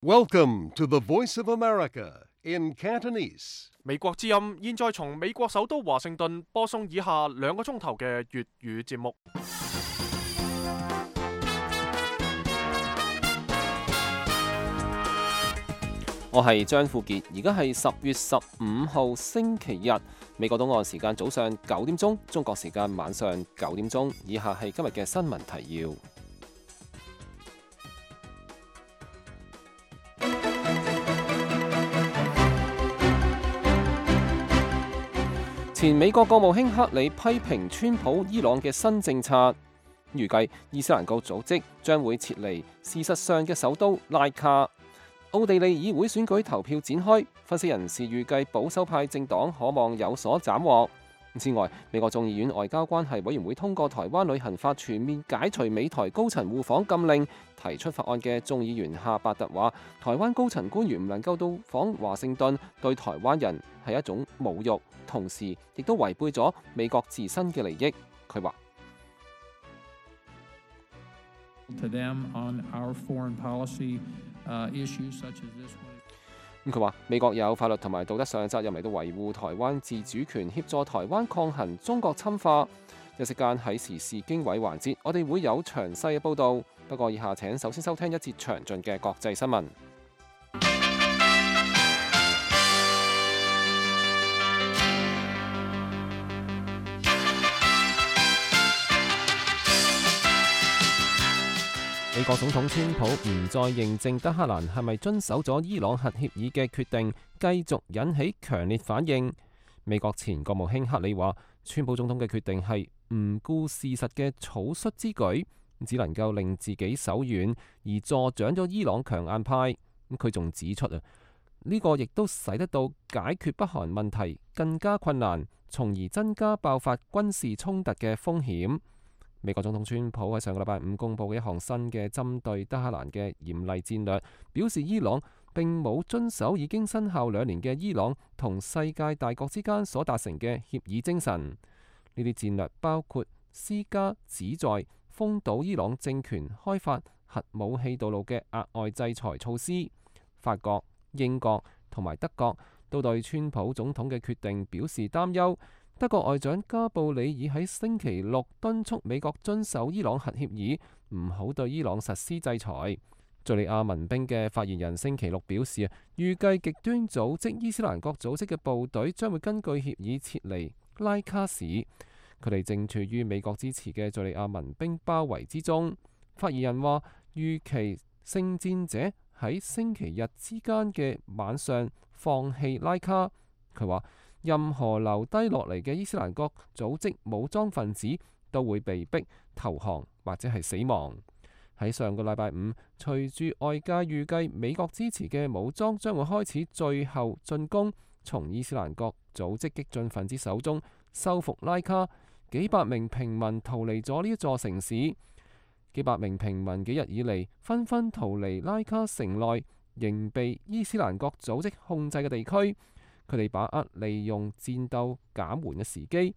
Welcome to the Voice of America in Cantonese. 美國之音現在從美國首都華盛頓播送以下2個鐘頭嘅粵語節目。我係張富傑，而家係10月15號星期日，美國東岸時間早上9點鐘，中國時間晚上9點鐘。以下係今日嘅新聞提要。前美國國務卿克里批評川普伊朗嘅新政策，預計伊斯蘭國組織將會撤離事實上嘅首都拉卡。奧地利議會選舉投票展開，分析人士預計保守派政黨可望有所斬獲。之外，美國眾議院外交關係委員會通過台灣旅行法，全面解除美台高層互訪禁令。提出法案嘅眾議員夏伯特話，台灣高層官員唔能夠到訪華盛頓，對台灣人係一種侮辱，同時亦都違背咗美國自身嘅利益。佢話佢話美國有法律同埋道德上嘅責任嚟到維護台灣自主權，協助台灣抗衡中國侵華。一時間喺時事經緯環節，我哋會有詳細嘅報導。不過以下請首先收聽一節詳盡嘅國際新聞。美國總統川普唔再認證德黑蘭係咪遵守咗伊朗核協議嘅決定，繼續引起強烈反應。美國前國務卿克里話，川普總統嘅決定係唔顧事實嘅草率之舉，只能夠令自己手軟，而助長咗伊朗強硬派。佢仲指出呢個亦都使得到解決北韓問題更加困難，從而增加爆發軍事衝突嘅風險。美國總統川普喺上個禮拜五公佈嘅一項新嘅針對德黑蘭嘅嚴厲戰略，表示伊朗並冇遵守已經生效2年嘅伊朗同世界大國之間所達成嘅協議精神。呢啲戰略包括施加旨在封堵伊朗政權開發核武器道路嘅額外制裁措施。法國、英國同埋德國都對川普總統嘅決定表示擔憂。德國外長加布里爾喺星期六敦促美國遵守伊朗核協議，唔好對伊朗實施制裁。敘利亞民兵嘅發言人星期六表示，預計極端組織伊斯蘭國組織嘅部隊將會根據協議撤離拉卡市，佢哋正處於美國支持嘅敘利亞民兵包圍之中。發言人話，預期聖戰者喺星期日之間嘅晚上放棄拉卡。佢話，任何留低落嚟嘅伊斯蘭國組織武裝分子都會被逼投降或者係死亡。喺上個禮拜五，隨住外界預計美國支持嘅武裝將會開始最後進攻，從伊斯蘭國組織激進分子手中收復拉卡，幾百名平民逃離咗呢一座城市。幾百名平民幾日以嚟紛紛逃離拉卡城內仍被伊斯蘭國組織控制嘅地區。佢哋把握利用戰鬥減緩嘅時機，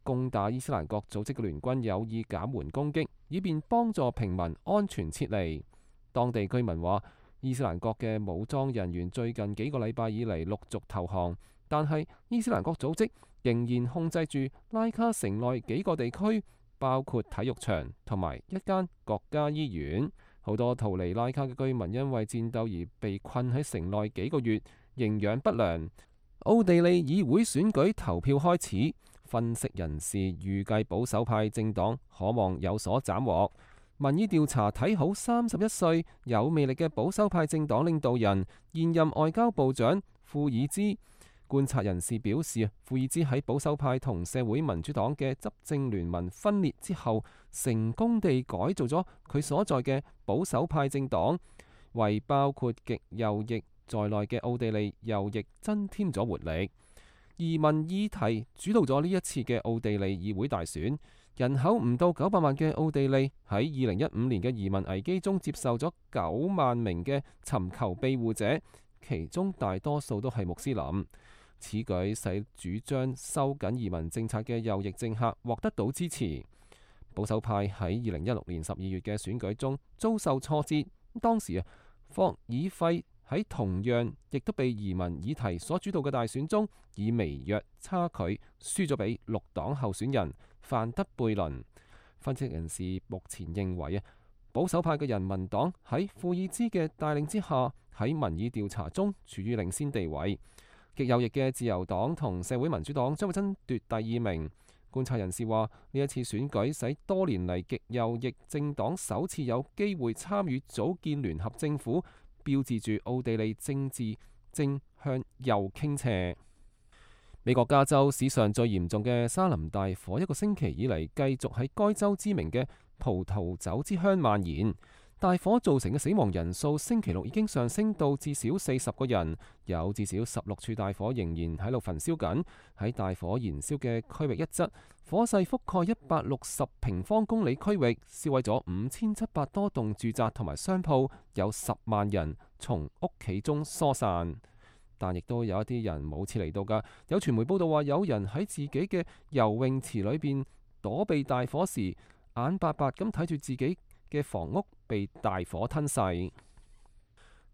攻打伊斯蘭國組織嘅聯軍有意減緩攻擊，以便幫助平民安全撤離。當地居民話，伊斯蘭國嘅武裝人員最近幾個禮拜以嚟陸續投降，但係伊斯蘭國組織仍然控制住拉卡城內幾個地區，包括體育場同埋一間國家醫院。好多逃離拉卡嘅居民因為戰鬥而被困喺城內幾個月，營養不良。奧地利議會選舉投票開始，分析人士預計保守派政黨可望有所斬獲。民意調查睇好31歲有魅力嘅保守派政黨領導人現任外交部長庫爾茲。觀察人士表示，庫爾茲喺保守派同社會民主黨嘅執政聯盟分裂之後，成功地改造咗佢所在嘅保守派政黨，為包括極右翼在內嘅奧地利右翼增添咗活力。移民議題主導咗呢一次嘅奧地利議會大選。人口唔到900萬嘅奧地利喺2015年嘅移民危機中接受咗9萬名嘅尋求庇護者，其中大多數都係穆斯林。此舉使主張收緊移民政策嘅右翼政客獲得到支持。保守派喺2016年12月嘅選舉中遭受挫折，當時霍爾費喺同樣亦都被移民議題所主導嘅大選中，以微弱差距輸咗俾綠黨候選人范德貝倫。分析人士目前認為保守派嘅人民黨喺庫爾茲嘅帶領之下，喺民意調查中處於領先地位。極右翼嘅自由黨同社會民主黨將會爭奪第2名。觀察人士話，呢一次選舉使多年嚟極右翼政黨首次有機會參與組建聯合政府，標誌住奧地利政治正向右傾斜。美國加州史上最嚴重嘅沙林大火，一個星期以嚟繼續喺該州知名嘅葡萄酒之鄉蔓延。大火造成嘅死亡人數星期六已經上升到至少40個人，有至少16處大火仍然喺度焚燒緊。喺大火燃燒嘅區域一側，火勢覆蓋160平方公里區域，燒毀咗5700多棟住宅同埋商鋪，有10萬人從屋企中疏散。但亦都有一啲人冇撤離到㗎。有傳媒報道話，有人喺自己嘅游泳池裏邊躲避大火時，眼白白咁睇住自己嘅房屋被大火吞噬。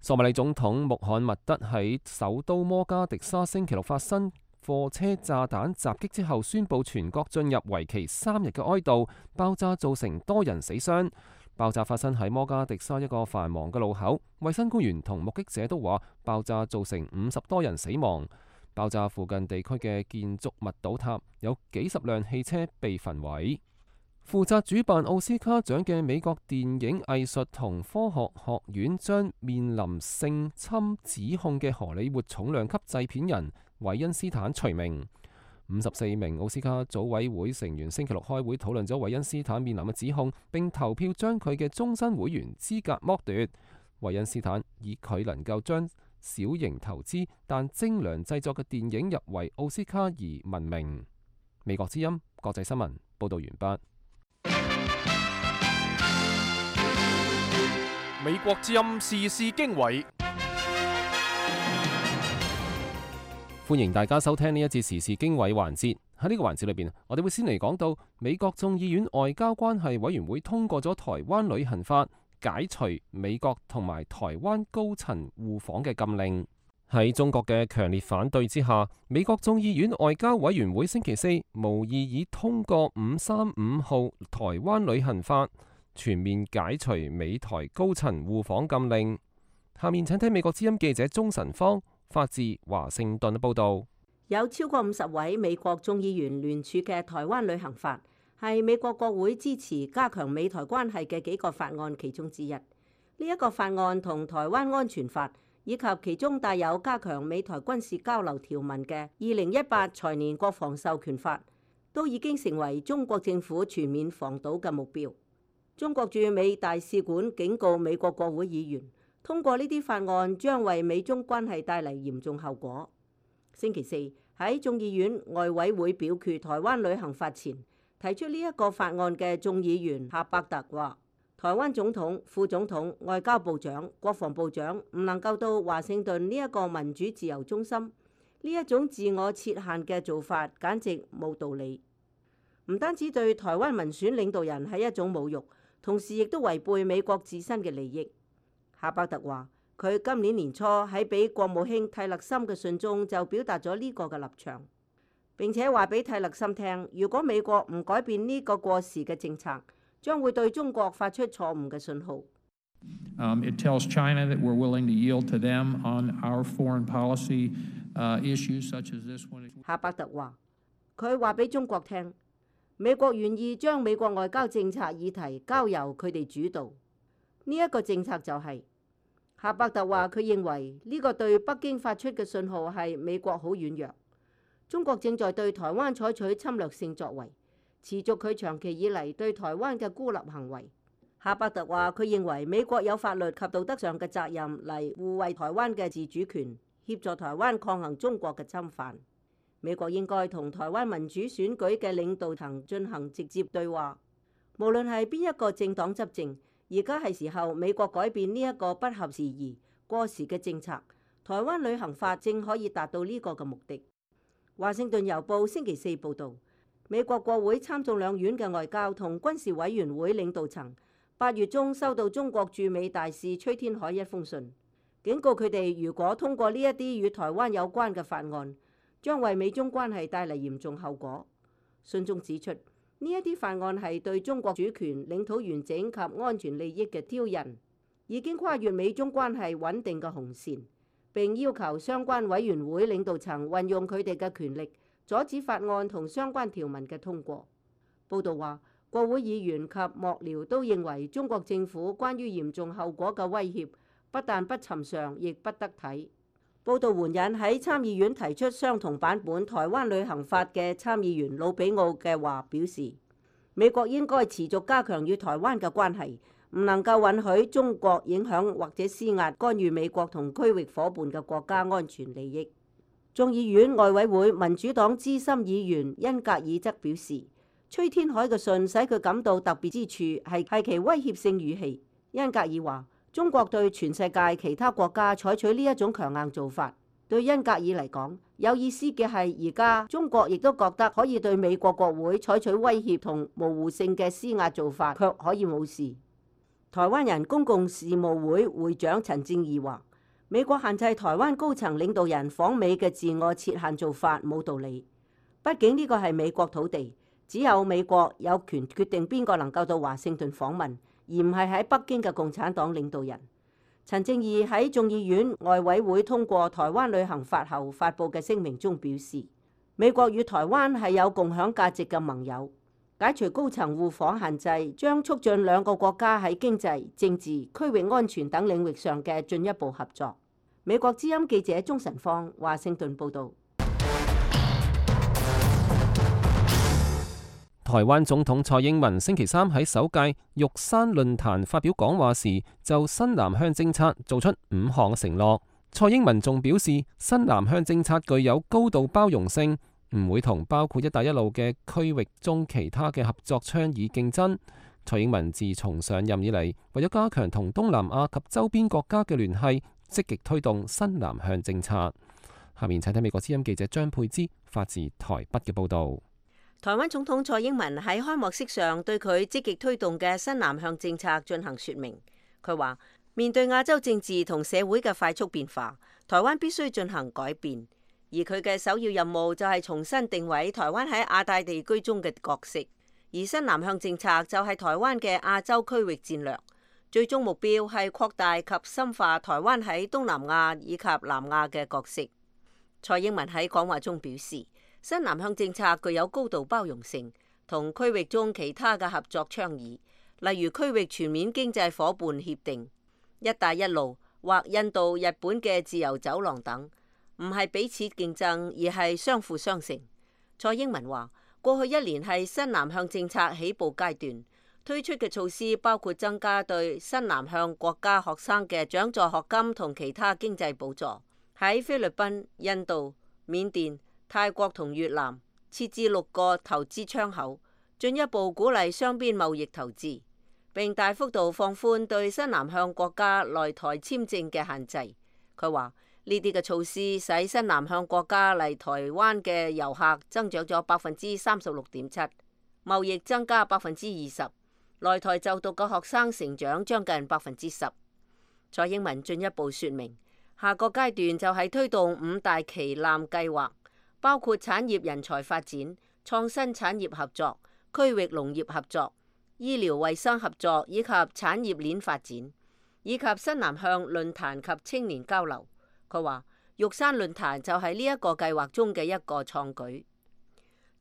索馬里總統穆罕默德喺首都摩加迪沙星期六發生貨車炸彈襲擊之後，宣布全國進入為期3日嘅哀悼。爆炸造成多人死傷。爆炸發生喺摩加迪沙一個繁忙嘅路口，衛生官員同目擊者都話爆炸造成50多人死亡。爆炸附近地區嘅建築物倒塌，有幾十輛汽車被焚毀。負責主辦奧斯卡獎嘅美國電影藝術同科學學院將面臨性侵指控嘅荷里活重量級製片人韋恩斯坦除名。54名奧斯卡組委會成員星期六開會討論咗韋恩斯坦面臨嘅指控，並投票將佢嘅終身會員資格剝奪。韋恩斯坦以佢能夠將小型投資但精良製作嘅電影入圍奧斯卡而聞名。美國之音國際新聞報道完畢。美國之音時事經緯。歡迎大家收聽呢一節時事經緯環節。喺呢個環節裏邊，我哋會先嚟講到美國眾議院外交關係委員會通過咗台灣旅行法，解除美國同埋台灣高層互訪嘅禁令。喺中國嘅強烈反對之下，美國眾議院外交委員會星期四無異議通過535號台灣旅行法，全面解除美台高層互訪禁令。下面請聽美國之音記者鍾晨芳發自華盛頓嘅報道。有超過50位美國眾議員聯署嘅台灣旅行法，係美國國會支持加強美台關係嘅幾個法案其中之一。呢一個法案同台灣安全法以及其中帶有加強美台軍事交流條文嘅2018財年國防授權法，都已經成為中國政府全面防堵嘅目標。中國駐美大使館警告美國國會議員，通過呢啲法案將為美中關係帶嚟嚴重後果。星期四喺眾議院外委會表決台灣旅行法前，提出呢一個法案嘅眾議員夏伯特話，台灣總統、副總統、外交部長、國防部長唔能夠到華盛頓呢一個民主自由中心，呢一種自我設限嘅做法簡直冇道理。唔單止對台灣民選領導人係一種侮辱，同時亦都違背美國自身嘅利益。夏伯特話，佢今年年初喺俾國務卿蒂勒森嘅信中就表達咗呢個嘅立場，並且話俾蒂勒森聽，如果美國唔改變呢個過時嘅政策，將會對中國發出錯誤嘅信號。It tells China that we're willing to yield to them on our foreign policy issues such as this one. 夏伯特話，佢話俾中國聽，美國願意將美國外交政策議題交由佢哋主導。呢一個政策就係夏伯特話，佢認為呢個對北京發出嘅信號係美國好軟弱，中國正在對台灣採取侵略性作為，持續佢長期以嚟對台灣嘅孤立行為。夏伯特話，佢認為美國有法律及道德上嘅責任嚟護衛台灣嘅自主權，協助台灣抗衡中國嘅侵犯。美國應該同台灣民主選舉嘅領導層進行直接對話，無論係邊一個政黨執政。而家係時候美國改變呢一個不合時宜、過時嘅政策，台灣旅行法正可以達到呢個嘅目的。華盛頓郵報星期四報導，美國國會參眾兩院嘅外交同軍事委員會領導層8月中收到中國駐美大使崔天凱一封信，警告佢哋如果通過呢一啲與台灣有關嘅法案，將為美中關係帶嚟嚴重後果。信中指出，呢一啲法案係對中國主權、領土完整及安全利益嘅挑釁，已經跨越美中關係穩定嘅紅線，並要求相關委員會領導層運用佢哋嘅權力，阻止法案同相關條文嘅通過。報道話，國會議員及幕僚都認為中國政府關於嚴重後果嘅威脅不但不尋常，亦不得體。報道援引喺參議院提出相同版本《台灣旅行法》嘅參議員魯比奧嘅話，表示美國應該持續加強與台灣嘅關係，唔能夠允許中國影響或者施壓干預美國同區域夥伴嘅國家安全利益。眾議院外委會民主黨資深議員恩格爾則表示，崔天凱嘅信使佢感到特別之處係其威脅性語氣。恩格爾話，中國對全世界其他國家採取呢一種強硬做法，對恩格爾嚟講有意思嘅係，而家中國亦都覺得可以對美國國會採取威脅同模糊性嘅施壓做法，卻可以冇事。台灣人公共事務會會長陳正義話，美國限制台灣高層領導人訪美嘅自我設限做法冇道理，畢竟呢個係美國土地，只有美國有權決定邊個能夠到華盛頓訪問，而唔係喺北京嘅共產黨領導人。陳正義喺眾議院外委會通過台灣旅行法後發布嘅聲明中表示，美國與台灣係有共享價值嘅盟友，解除高層互訪限制將促進兩個國家喺經濟、政治、區域安全等領域上嘅進一步合作。美國之音記者鍾晨芳華盛頓報導。台灣總統蔡英文星期三喺首屆玉山論壇發表講話時，就新南向政策做出5項承諾。蔡英文仲表示，新南向政策具有高度包容性，唔會同包括一帶一路嘅區域中其他嘅合作倡議競爭。蔡英文自從上任以嚟，為咗加強同東南亞及周邊國家嘅聯繫，積極推動新南向政策。下面請睇美國之音記者張佩芝發自台北嘅報導。台灣總統蔡英文喺開幕式上對佢積極推動嘅新南向政策進行說明。佢話：面對亞洲政治同社會嘅快速變化，台灣必須進行改變，而佢嘅首要任務就係重新定位台灣喺亞太地區中嘅角色。而新南向政策就係台灣嘅亞洲區域戰略，最終目標係擴大及深化台灣喺東南亞以及南亞嘅角色。蔡英文喺講話中表示，新南向政策具有高度包容性，同區域中其他嘅合作倡議，例如區域全面經濟夥伴協定、一帶一路或印度、日本嘅自由走廊等，唔係彼此競爭，而係相輔相成。蔡英文話：過去1年係新南向政策起步階段，推出嘅措施包括增加對新南向國家學生嘅獎助學金同其他經濟補助，喺菲律賓、印度、緬甸、泰國同越南設置6個投資窗口，進一步鼓勵雙邊貿易投資，並大幅度放寬對新南向國家來台簽證嘅限制。佢話呢啲嘅措施使新南向國家嚟台灣嘅遊客增長咗36.7%，貿易增加20%，來台就讀嘅學生成長將近10%。蔡英文進一步說明，下個階段就係推動5大旗艦計劃，包括產業人才發展、創新產業合作、區域農業合作、醫療衛生合作以及產業鏈發展，以及新南向論壇及青年交流。佢話玉山論壇就係呢一個計劃中嘅一個創舉。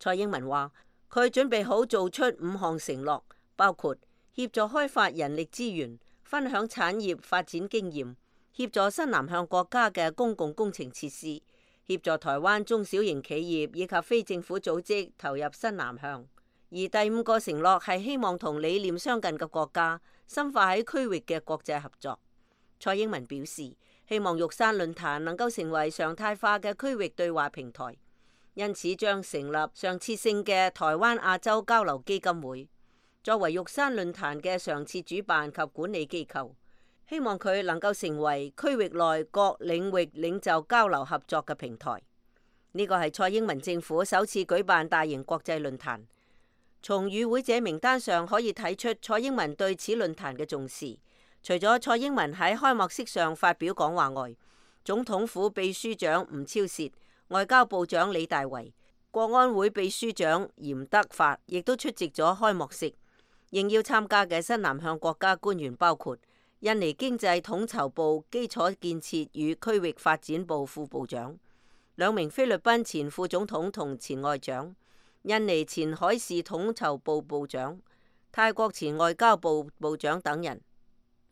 蔡英文話佢準備好做出5項承諾，包括協助開發人力資源、分享產業發展經驗、協助新南向國家嘅公共工程設施、協助台灣中小型企業以及非政府組織投入新南向。而第5個承諾係希望同理念相近嘅國家深化喺區域嘅國際合作。蔡英文表示，希望玉山論壇能夠成為常態化嘅區域對話平台，因此將成立常設性嘅台灣亞洲交流基金會，作為玉山論壇嘅常設主辦及管理機構。希望佢能夠成為區域內各領域領袖交流合作嘅平台。呢個係蔡英文政府首次舉辦大型國際論壇。從與會者名單上可以睇出蔡英文對此論壇嘅重視。除咗蔡英文喺開幕式上發表講話外，總統府秘書長吳釗燮、外交部長李大維、國安會秘書長嚴德發亦都出席咗開幕式。應邀參加嘅新南向國家官員包括印尼經濟統籌部基礎建設與區域發展部副部長、2名菲律賓前副總統同前外長、印尼前海事統籌部部長、泰國前外交部部長等人。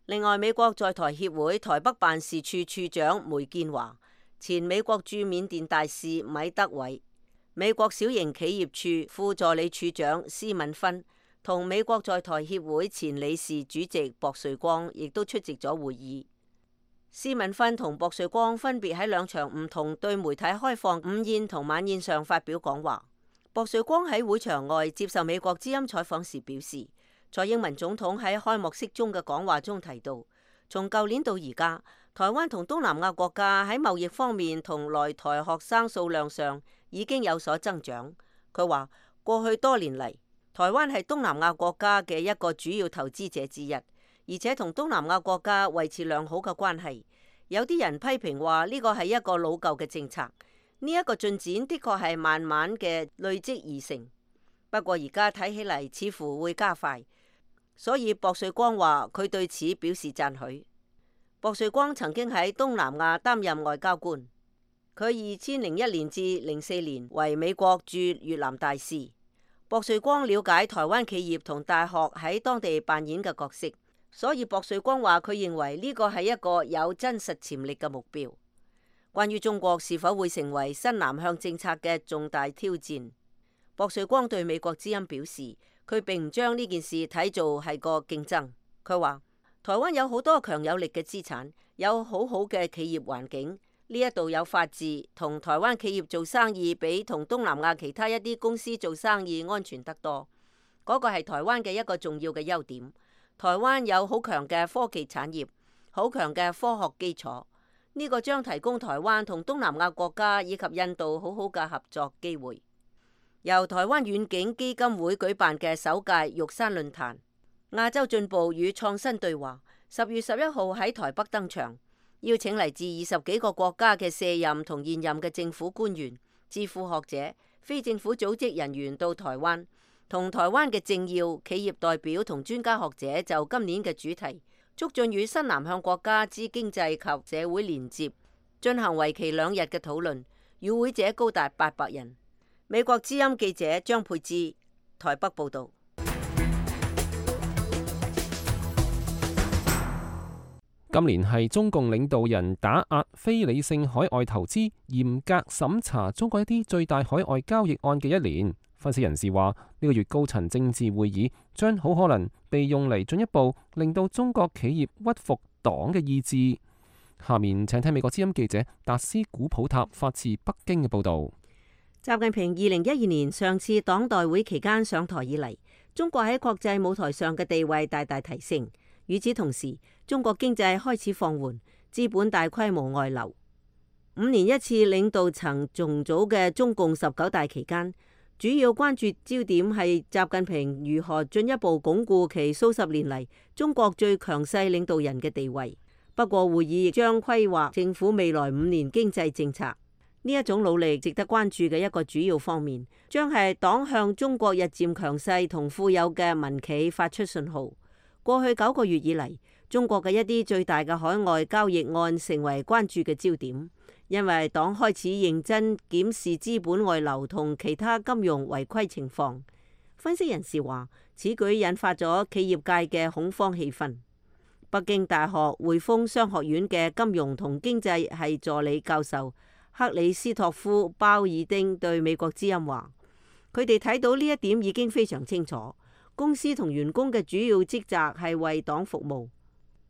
另外，美國在台協會台北辦事處處長梅建華、前美國駐緬甸大使米德偉、美國小型企業處副助理處長施敏芬同美國在台協會前理事主席薄瑞光亦都出席咗會議。施敏芬同薄瑞光分別喺2場唔同對媒體開放午宴同晚宴上發表講話。薄瑞光喺會場外接受美國之音採訪時表示，蔡英文總統喺開幕式中嘅講話中提到，從舊年到而家，台灣同東南亞國家喺貿易方面同來台學生數量上已經有所增長。佢話過去多年嚟，台灣係東南亞國家嘅一個主要投資者之一，而且同東南亞國家維持良好嘅關係。有啲人批評話呢個係一個老舊嘅政策，呢一個進展的確係慢慢嘅累積而成。不過而家睇起嚟似乎會加快，所以薄瑞光話佢對此表示讚許。薄瑞光曾經喺東南亞擔任外交官，佢2001年至04年為美國駐越南大使。薄瑞光了解台灣企業同大學喺當地扮演嘅角色，所以薄瑞光話佢認為呢個係一個有真實潛力嘅目標。關於中國是否會成為新南向政策嘅重大挑戰，薄瑞光對美國之音表示，佢並唔將呢件事睇做係個競爭。佢話台灣有好多強有力嘅資產，有好好嘅企業環境。呢一度有法治，同台灣企業做生意比同東南亞其他一啲公司做生意安全得多。嗰個係台灣嘅一個重要嘅優點。台灣有好強嘅科技產業，好強嘅科學基礎。呢個將提供台灣同東南亞國家以及印度好好嘅合作機會。由台灣遠景基金會舉辦嘅首屆玉山論壇，亞洲進步與創新對話10月11號喺台北登場。邀請嚟自20幾個國家嘅卸任同現任嘅政府官員、智庫學者、非政府組織人員到台灣，同台灣嘅政要、企業代表同專家學者就今年嘅主題促進與新南向國家之經濟及社會連接進行為期2日嘅討論，與會者高達800人。美國之音記者張佩芝台北報導。今年係中共領導人打壓非理性海外投資、嚴格審查中國一啲最大海外交易案嘅一年。分析人士話，呢個月高層政治會議將好可能被用嚟進一步令到中國企業屈服黨嘅意志。下面請聽美國之音記者達斯古普塔發自北京嘅報導。習近平2012年上次黨代會期間上台以嚟，中國喺國際舞台上嘅地位大大提升。與此同時，中國經濟開始放緩，資本大規模外流。5年一次領導層重組嘅中共19大期間，主要關注焦點係習近平如何進一步鞏固其數十年嚟中國最強勢領導人嘅地位。不過會議亦將規劃政府未來5年經濟政策。呢一種努力值得關注嘅一個主要方面，將係黨向中國日漸強勢同富有嘅民企發出信號。過去9個月以嚟，中國嘅一啲最大嘅海外交易案成為關注嘅焦點，因為黨開始認真檢視資本外流同其他金融違規情況。分析人士話，此舉引發咗企業界嘅恐慌氣氛。北京大學匯豐商學院嘅金融同經濟系助理教授克里斯托夫鮑爾丁對美國之音話，佢哋睇到呢一點已經非常清楚。公司同員工嘅主要職責係為黨服務。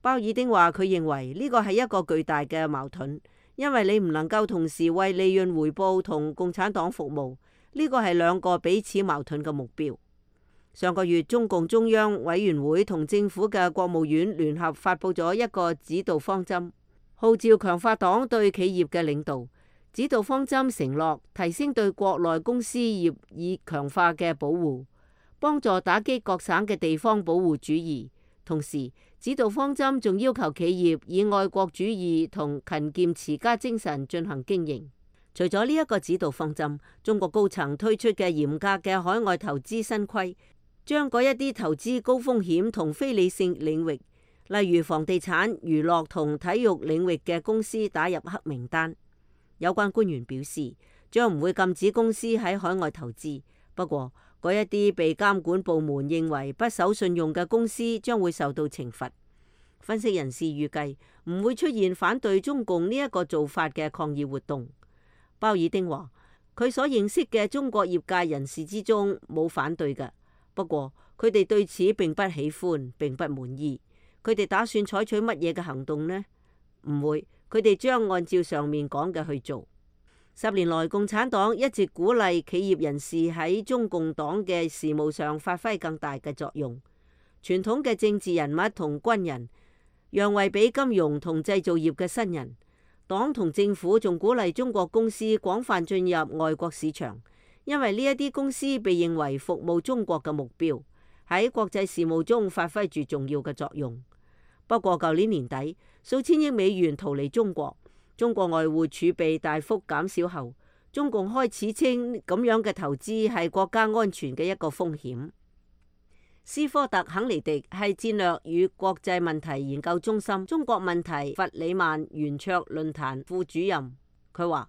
鮑爾丁話，佢認為呢個係一個巨大嘅矛盾，因為你唔能夠同時為利潤回報同共產黨服務，呢個係2個彼此矛盾嘅目標。上個月，中共中央委員會同政府嘅國務院聯合發佈咗一個指導方針，號召強化黨對企業嘅領導。指導方針承諾提升對國內公司業以強化嘅保護。幫助打擊各省嘅地方保護主義。同時，指導方針仲要求企業以愛國主義同勤儉持家精神進行經營。除咗呢一個指導方針，中國高層推出嘅嚴格嘅海外投資新規，將嗰一啲投資高風險同非理性領域，例如房地產、娛樂同體育領域嘅公司打入黑名單。有關官員表示，將唔會禁止公司喺海外投資，不過嗰一啲被監管部門認為不守信用嘅公司將會受到懲罰。分析人士預計唔會出現反對中共呢一個做法嘅抗議活動。鮑爾丁話，佢所認識嘅中國業界人士之中冇反對嘅，不過佢哋對此並不喜歡，並不滿意。佢哋打算採取乜嘢嘅行動呢？唔會，佢哋將按照上面講嘅去做。10年來，共產黨一直鼓勵企業人士喺中共黨嘅事務上發揮更大嘅作用。傳統嘅政治人物同軍人讓位俾金融同製造業嘅新人。黨同政府仲鼓勵中國公司廣泛進入外國市場，因為呢一啲公司被認為服務中國嘅目標，喺國際事務中發揮住重要嘅作用。不過舊年年底，數千億美元逃離中國，中國外匯儲備大幅減少後，中共開始稱咁樣嘅投資係國家安全嘅一個風險。斯科特·肯尼迪係戰略與國際問題研究中心中國問題弗里曼圓桌論壇副主任。佢話：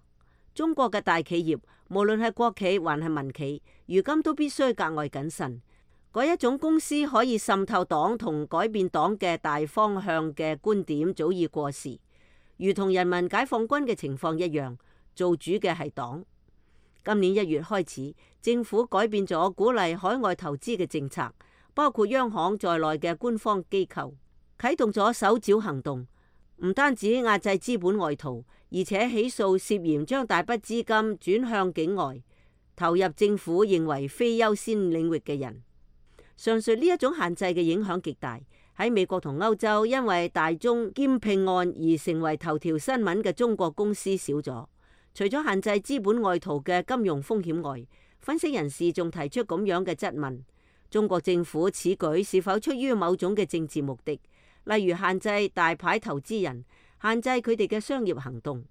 中國嘅大企業，無論係國企還係民企，如今都必須格外謹慎。嗰一種公司可以滲透黨同改變黨嘅大方向嘅觀點早已過時，如同人民解放軍嘅情況一樣，做主嘅係黨。今年1月開始，政府改變咗鼓勵海外投資嘅政策。包括央行在內嘅官方機構啟動咗搜剿行動，唔單止壓制資本外逃，而且起訴涉嫌將大筆資金轉向境外，投入政府認為非優先領域嘅人。上述呢一種限制嘅影響極大。喺美國同歐洲，因為大宗兼併案而成為頭條新聞嘅中國公司少咗。除咗限制資本外逃嘅金融風險外，分析人士仲提出咁樣嘅質問。中國政府此舉是否出於某種嘅政治目的，例如限制大牌投資人，限制佢哋嘅商業行動？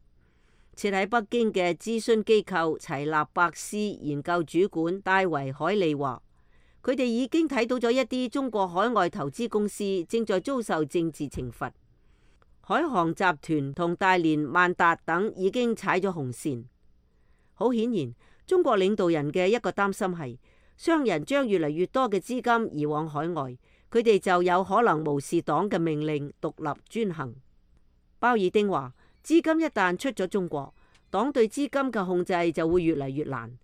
設喺北京嘅諮詢機構齊立伯斯研究主管戴維·海利話，佢哋已經睇到咗一啲中國海外投資公司正在遭受政治懲罰。海航集團同大連萬達等已經踩咗紅線。好顯然，中國領導人嘅一個擔心係，商人將越嚟越多嘅資金移往海外，佢哋就有可能無視黨嘅命令，獨立專行。鮑爾丁話：資金一旦出咗中國，黨對資金嘅控制就會越嚟越難。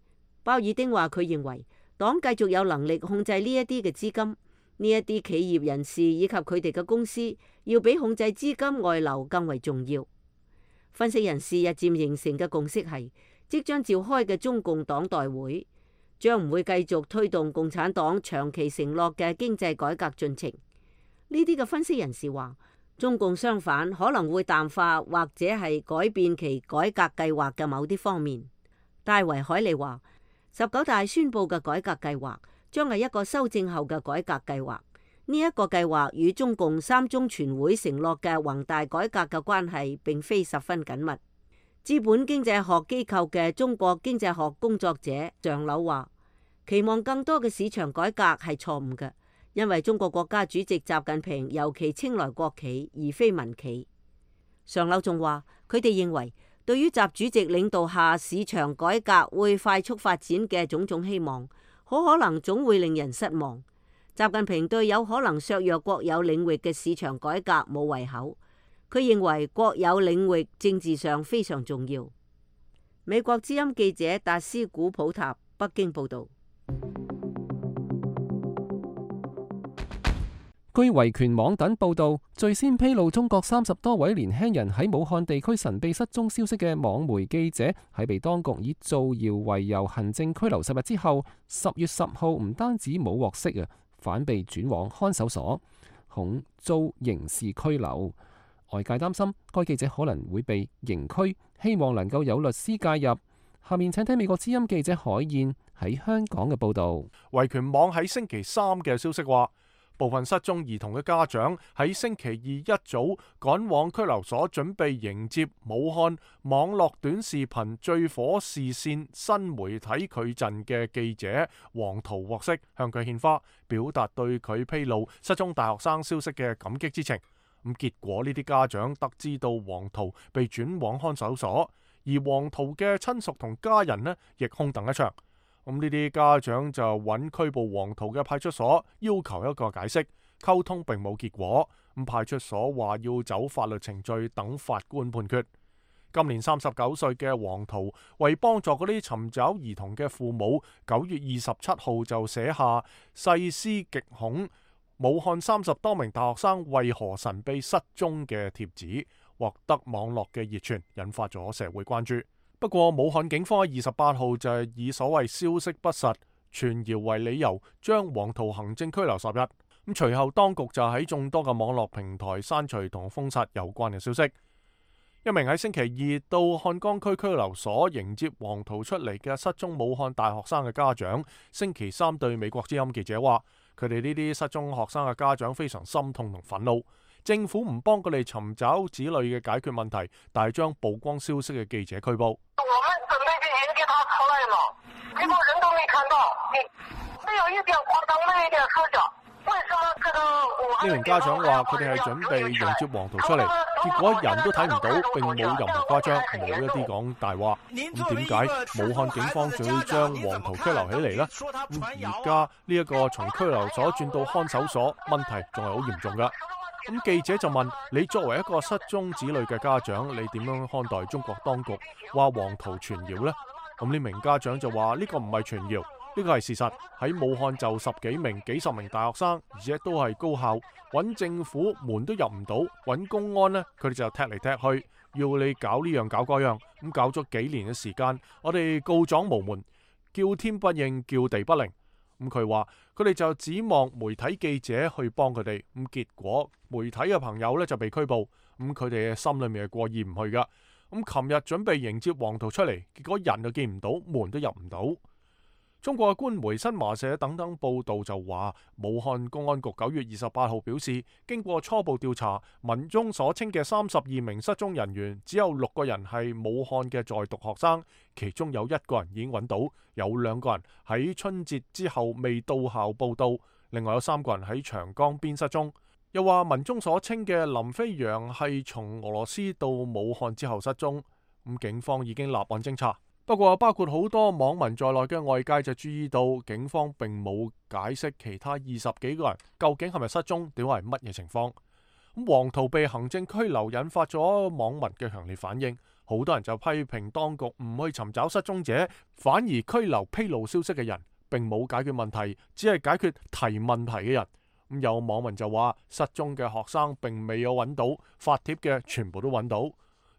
鮑爾丁話佢認為黨繼續有能力控制呢一啲嘅資金，呢一啲企業人士以及佢哋嘅公司要比控制資金外流更為重要。分析人士日漸形成嘅共識係，即將召開嘅中共黨代會將唔會繼續推動共產黨長期承諾嘅經濟改革進程。呢啲嘅分析人士話，中共相反可能會淡化或者係改變其改革計劃嘅某啲方面。戴維海利話，19大宣佈嘅改革計劃將係一個修正後嘅改革計劃。呢一個計劃與中共3中全會承諾嘅宏大改革嘅關係並非十分緊密。資本經濟學機構嘅中國經濟學工作者尚柳話，期望更多嘅市場改革係錯誤嘅，因為中國國家主席習近平尤其青睞國企而非民企。尚柳仲話，佢哋認為對於習主席領導下市場改革會快速發展嘅種種希望，好可能總會令人失望。習近平對有可能削弱國有領域嘅市場改革冇胃口。佢認為國有領域政治上非常重要。美國之音記者達斯古普塔北京報導。據維權網等報導，最先披露中國30多位年輕人喺武漢地區神秘失蹤消息嘅網媒記者，喺被當局以造謠為由行政拘留10日之後，10月10號唔單止冇獲釋反被轉往看守所，恐遭刑事拘留。外界擔心該記者可能會被刑拘，希望能夠有律師介入。下面請聽美國之音記者海燕喺香港嘅報導。維權網喺星期三嘅消息話，部分失蹤兒童嘅家長喺星期二一早趕往拘留所，準備迎接武漢網絡短視頻最火視線新媒體矩陣嘅記者黃圖獲釋，向佢獻花，表達對佢披露失蹤大學生消息嘅感激之情。咁結果呢啲家長得知到黃圖被轉往看守所，而黃圖嘅親屬同家人呢亦空等一場。咁呢啲家長就揾拘捕黃圖嘅派出所，要求一個解釋，溝通並冇結果。咁派出所話要走法律程序，等法官判決。今年39歲嘅黃圖為幫助嗰啲尋找兒童嘅父母，9月27號就寫下細思極恐，武漢30多名大學生為何神秘失蹤嘅帖子，獲得網絡嘅熱傳，引發咗社會關注。不過，武漢警方喺28號就係以所謂消息不實、傳謠為理由，將黃圖行政拘留10日。咁隨後當局就喺眾多嘅網絡平台刪除同封殺有關嘅消息。一名喺星期二到漢江區拘留所迎接黃圖出嚟嘅失蹤武漢大學生嘅家長，星期三對美國之音記者話：佢哋呢啲失蹤學生嘅家長非常心痛同憤怒。政府唔幫佢哋尋找子女嘅解決問題，但係將曝光消息嘅記者拘捕。我們準備去迎接他出來了，結果人都沒看到，沒有一點誇張，沒有一點說假。為什麼這個？呢名家長話：佢哋係準備迎接黃圖出嚟，結果人都睇唔到，並冇任何誇張，冇一啲講大話。咁點解武漢警方仲要將黃圖拘留起嚟呢？而家呢一個從拘留所轉到看守所，問題仲係好嚴重㗎。咁記者就問：你作為一個失蹤子女嘅家長，你點樣看待中國當局話黃圖傳謠呢？咁呢名家長就話：呢個唔係傳謠，呢個係事實。喺武漢就幾十名大學生，而且都係高校，揾政府門都入唔到，揾公安呢，佢哋就踢嚟踢去，要你搞呢樣搞嗰樣。咁搞咗幾年嘅時間，我哋告狀無門，叫天不應，叫地不靈。咁佢話佢哋就指望媒體記者去幫佢哋，咁結果媒體嘅朋友呢就被拘捕，咁佢哋嘅心裏面係過意唔去噶。咁琴日準備迎接黃圖出嚟，結果人就見唔到，門都入唔到。中國嘅官媒新華社等等報道就話，武漢公安局9月28號表示，經過初步調查，文中所稱嘅32名失蹤人員，只有6個人係武漢嘅在讀學生，其中有1個人已經揾到，有2個人喺春節之後未到校報到，另外有3個人喺長江邊失蹤。又話文中所稱嘅林飛揚係從俄羅斯到武漢之後失蹤，咁警方已經立案偵查。不過包括好多網民在內嘅外界就注意到，警方並冇解釋其他20幾個人究竟係咪失蹤，點係乜嘢情況。咁黃圖被行政拘留，引發咗網民嘅強烈反應，好多人就批評當局唔去尋找失蹤者，反而拘留披露消息嘅人，並冇解決問題，只係解決提問題嘅人。咁有網民就話，失蹤嘅學生並未有揾到，發帖嘅全部都揾到。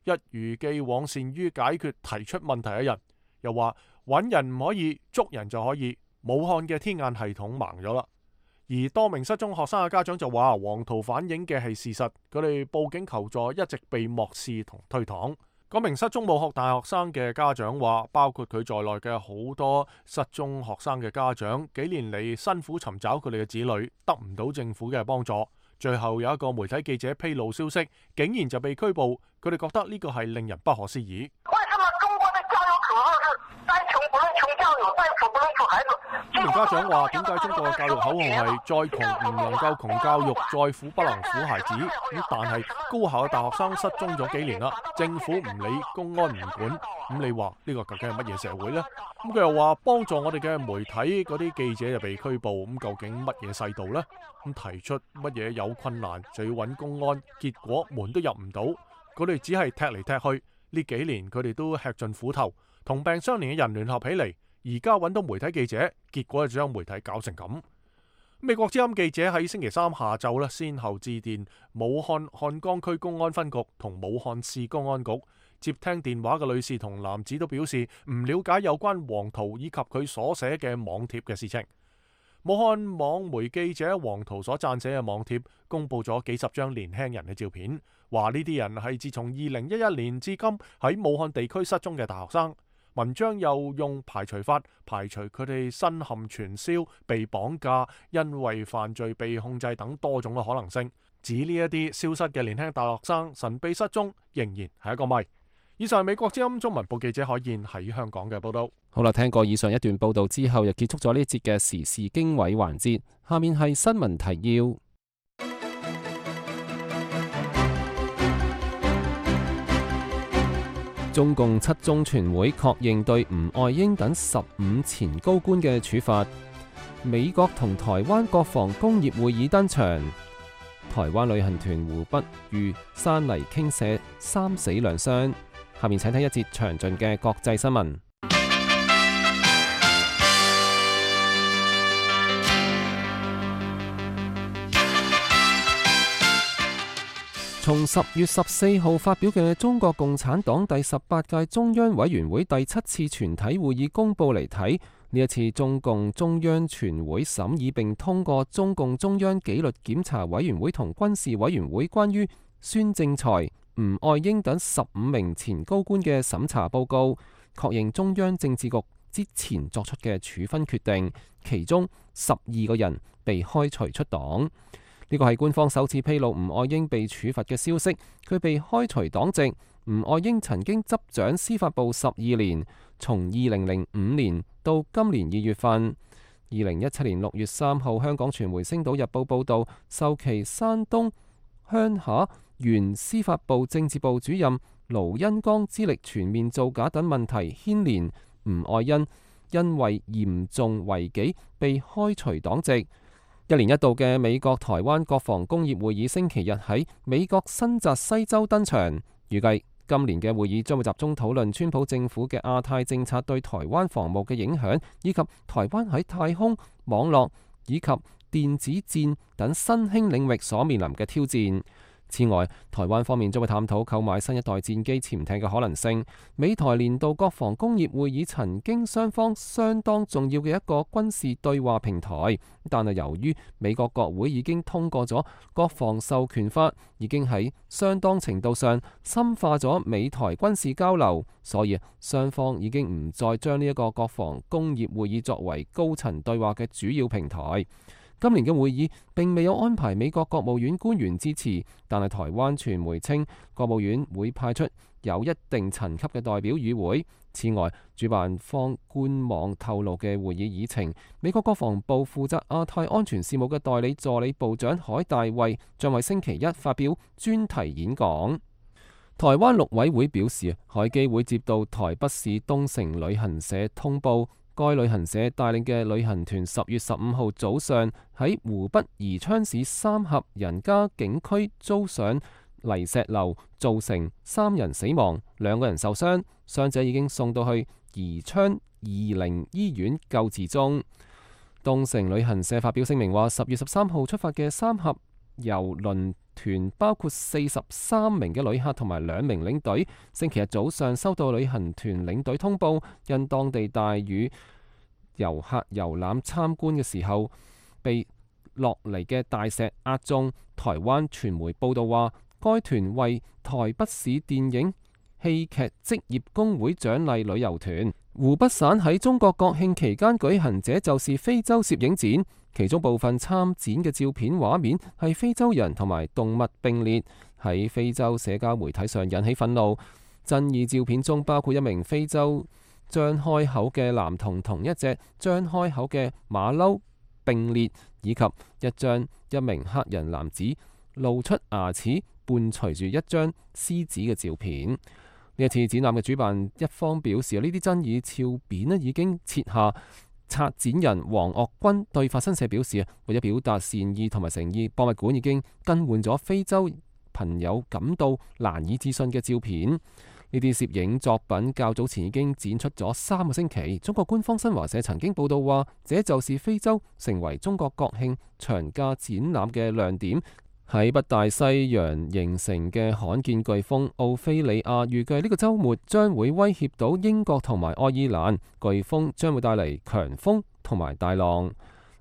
一如既往善於解決提出問題嘅人，又話揾人唔可以，捉人就可以。武漢嘅天眼系統盲咗啦。而多名失蹤學生嘅家長就話，黃圖反映嘅係事實，佢哋報警求助一直被漠視同推搪。嗰名失蹤武漢大學生嘅家長話，包括佢在內嘅好多失蹤學生嘅家長，幾年嚟辛苦尋找佢哋嘅子女，得唔到政府嘅幫助。最後有一個媒體記者披露消息，竟然就被拘捕。佢哋覺得呢個係令人不可思議。為什麼中國的教育體制是再窮不能窮教育，再富不能富孩子？呢名家長話：點解中國嘅教育口號係再窮唔能夠窮教育，再苦不能苦孩子？咁但係高校嘅大學生失蹤咗幾年啦，政府唔理，公安唔管，咁你話呢個究竟係乜嘢社會呢？咁佢又話幫助我哋嘅媒體嗰啲記者就被拘捕，咁究竟乜嘢世道呢？咁提出乜嘢有困難就要揾公安，結果門都入唔到，佢哋只係踢嚟踢去。呢幾年佢哋都吃盡苦頭，同病相憐嘅人聯合起嚟，而家揾到媒體記者，結果就將媒體搞成咁。美國之音記者喺星期三下晝先後致電武漢漢江區公安分局同武漢市公安局，接聽電話嘅女士同男子都表示唔了解有關黃圖以及佢所寫嘅網帖嘅事情。武漢網媒記者黃圖所撰寫嘅網帖公布咗幾十張年輕人嘅照片，話呢啲人係自從2011年至今喺武漢地區失蹤嘅大學生。文章又用排除法排除佢哋身陷傳銷、被綁架、因為犯罪被控制等多種嘅可能性，指呢一啲消失嘅年輕大學生神秘失蹤，仍然係一個謎。以上係美國之音中文部記者海燕喺香港嘅報道。好啦，聽過以上一段報道之後，又結束咗呢一節嘅時事經緯環節。下面係新聞提要。中共七中全會確認對吳愛英等15前高官嘅處罰。美國同台灣國防工業會議登場。台灣旅行團湖北遇山泥傾瀉，3死2傷。下面請睇一節詳盡嘅國際新聞。從10月14號發表嘅中國共產黨第18屆中央委員會第7次全體會議公報嚟睇，呢一次中共中央全會審議並通過中共中央紀律檢查委員會同軍事委員會關於孫政才、吳愛英等15名前高官嘅審查報告，確認中央政治局之前作出嘅處分決定，其中12個人被開除出黨。呢個係官方首次披露吳愛英被處罰嘅消息，佢被開除黨籍。吳愛英曾經執掌司法部12年，從2005年到今年2月份。2017年6月3號，香港傳媒《星島日報》報導，受其山東鄉下原司法部政治部主任盧恩剛資歷全面造假等問題牽連，吳愛英因為嚴重違紀被開除黨籍。1年1度嘅美國台灣國防工業會議星期日喺美國新澤西州登場，預計今年嘅會議將會集中討論川普政府嘅亞太政策對台灣防務嘅影響，以及台灣喺太空、網絡以及電子戰等新興領域所面臨嘅挑戰。此外，台灣方面將會探討購買新一代戰機潛艇嘅可能性。美台年度國防工業會議曾經雙方相當重要嘅一個軍事對話平台，但係由於美國國會已經通過咗國防授權法，已經喺相當程度上深化咗美台軍事交流，所以雙方已經唔再將呢一個國防工業會議作為高層對話嘅主要平台。今年嘅會議並未有安排美國國務院官員支持，但係台灣傳媒稱國務院會派出有一定層級嘅代表與會。此外，主辦方官網透露嘅會議議程，美國國防部負責亞太安全事務嘅代理助理部長海大衛將喺星期一發表專題演講。台灣陸委會表示，海基會接到台北市東成旅行社通報，該旅行社帶領嘅旅行團10月15號早上喺湖北宜昌市三峽人家景區遭上泥石流，造成3人死亡，2個人受傷，傷者已經送到去宜昌怡寧醫院救治中。東成旅行社發表聲明話，10月13號出發嘅三峽郵輪團包括43名嘅旅客同埋2名領隊。星期日早上收到旅行團領隊通報，因當地大雨，遊客遊覽參觀嘅時候被落嚟嘅大石壓中。台灣傳媒報道話，該團為台北市電影戲劇職業工會獎勵旅遊團。湖北省喺中國國慶期間舉行這就是非洲攝影展，其中部分參展嘅照片畫面係非洲人同埋動物並列，喺非洲社交媒體上引起憤怒。爭議照片中包括一名非洲張開口嘅男童同一隻張開口嘅馬騮並列，以及一名黑人男子露出牙齒伴隨住一張獅子嘅照片。呢一次展覽嘅主辦一方表示，呢啲爭議照片已經撤下。策展人黃岳君對法新社表示，為咗表達善意同埋誠意，博物館已經更換咗非洲朋友感到難以置信嘅照片。呢啲攝影作品較早前已經展出咗3個星期。中國官方新華社曾經報道話，這就是非洲成為中國國慶長假展覽嘅亮點。喺北大西洋形成嘅罕見颶風奧菲利亞，預計呢個週末將會威脅到英國同埋愛爾蘭。颶風將會帶嚟強風同埋大浪。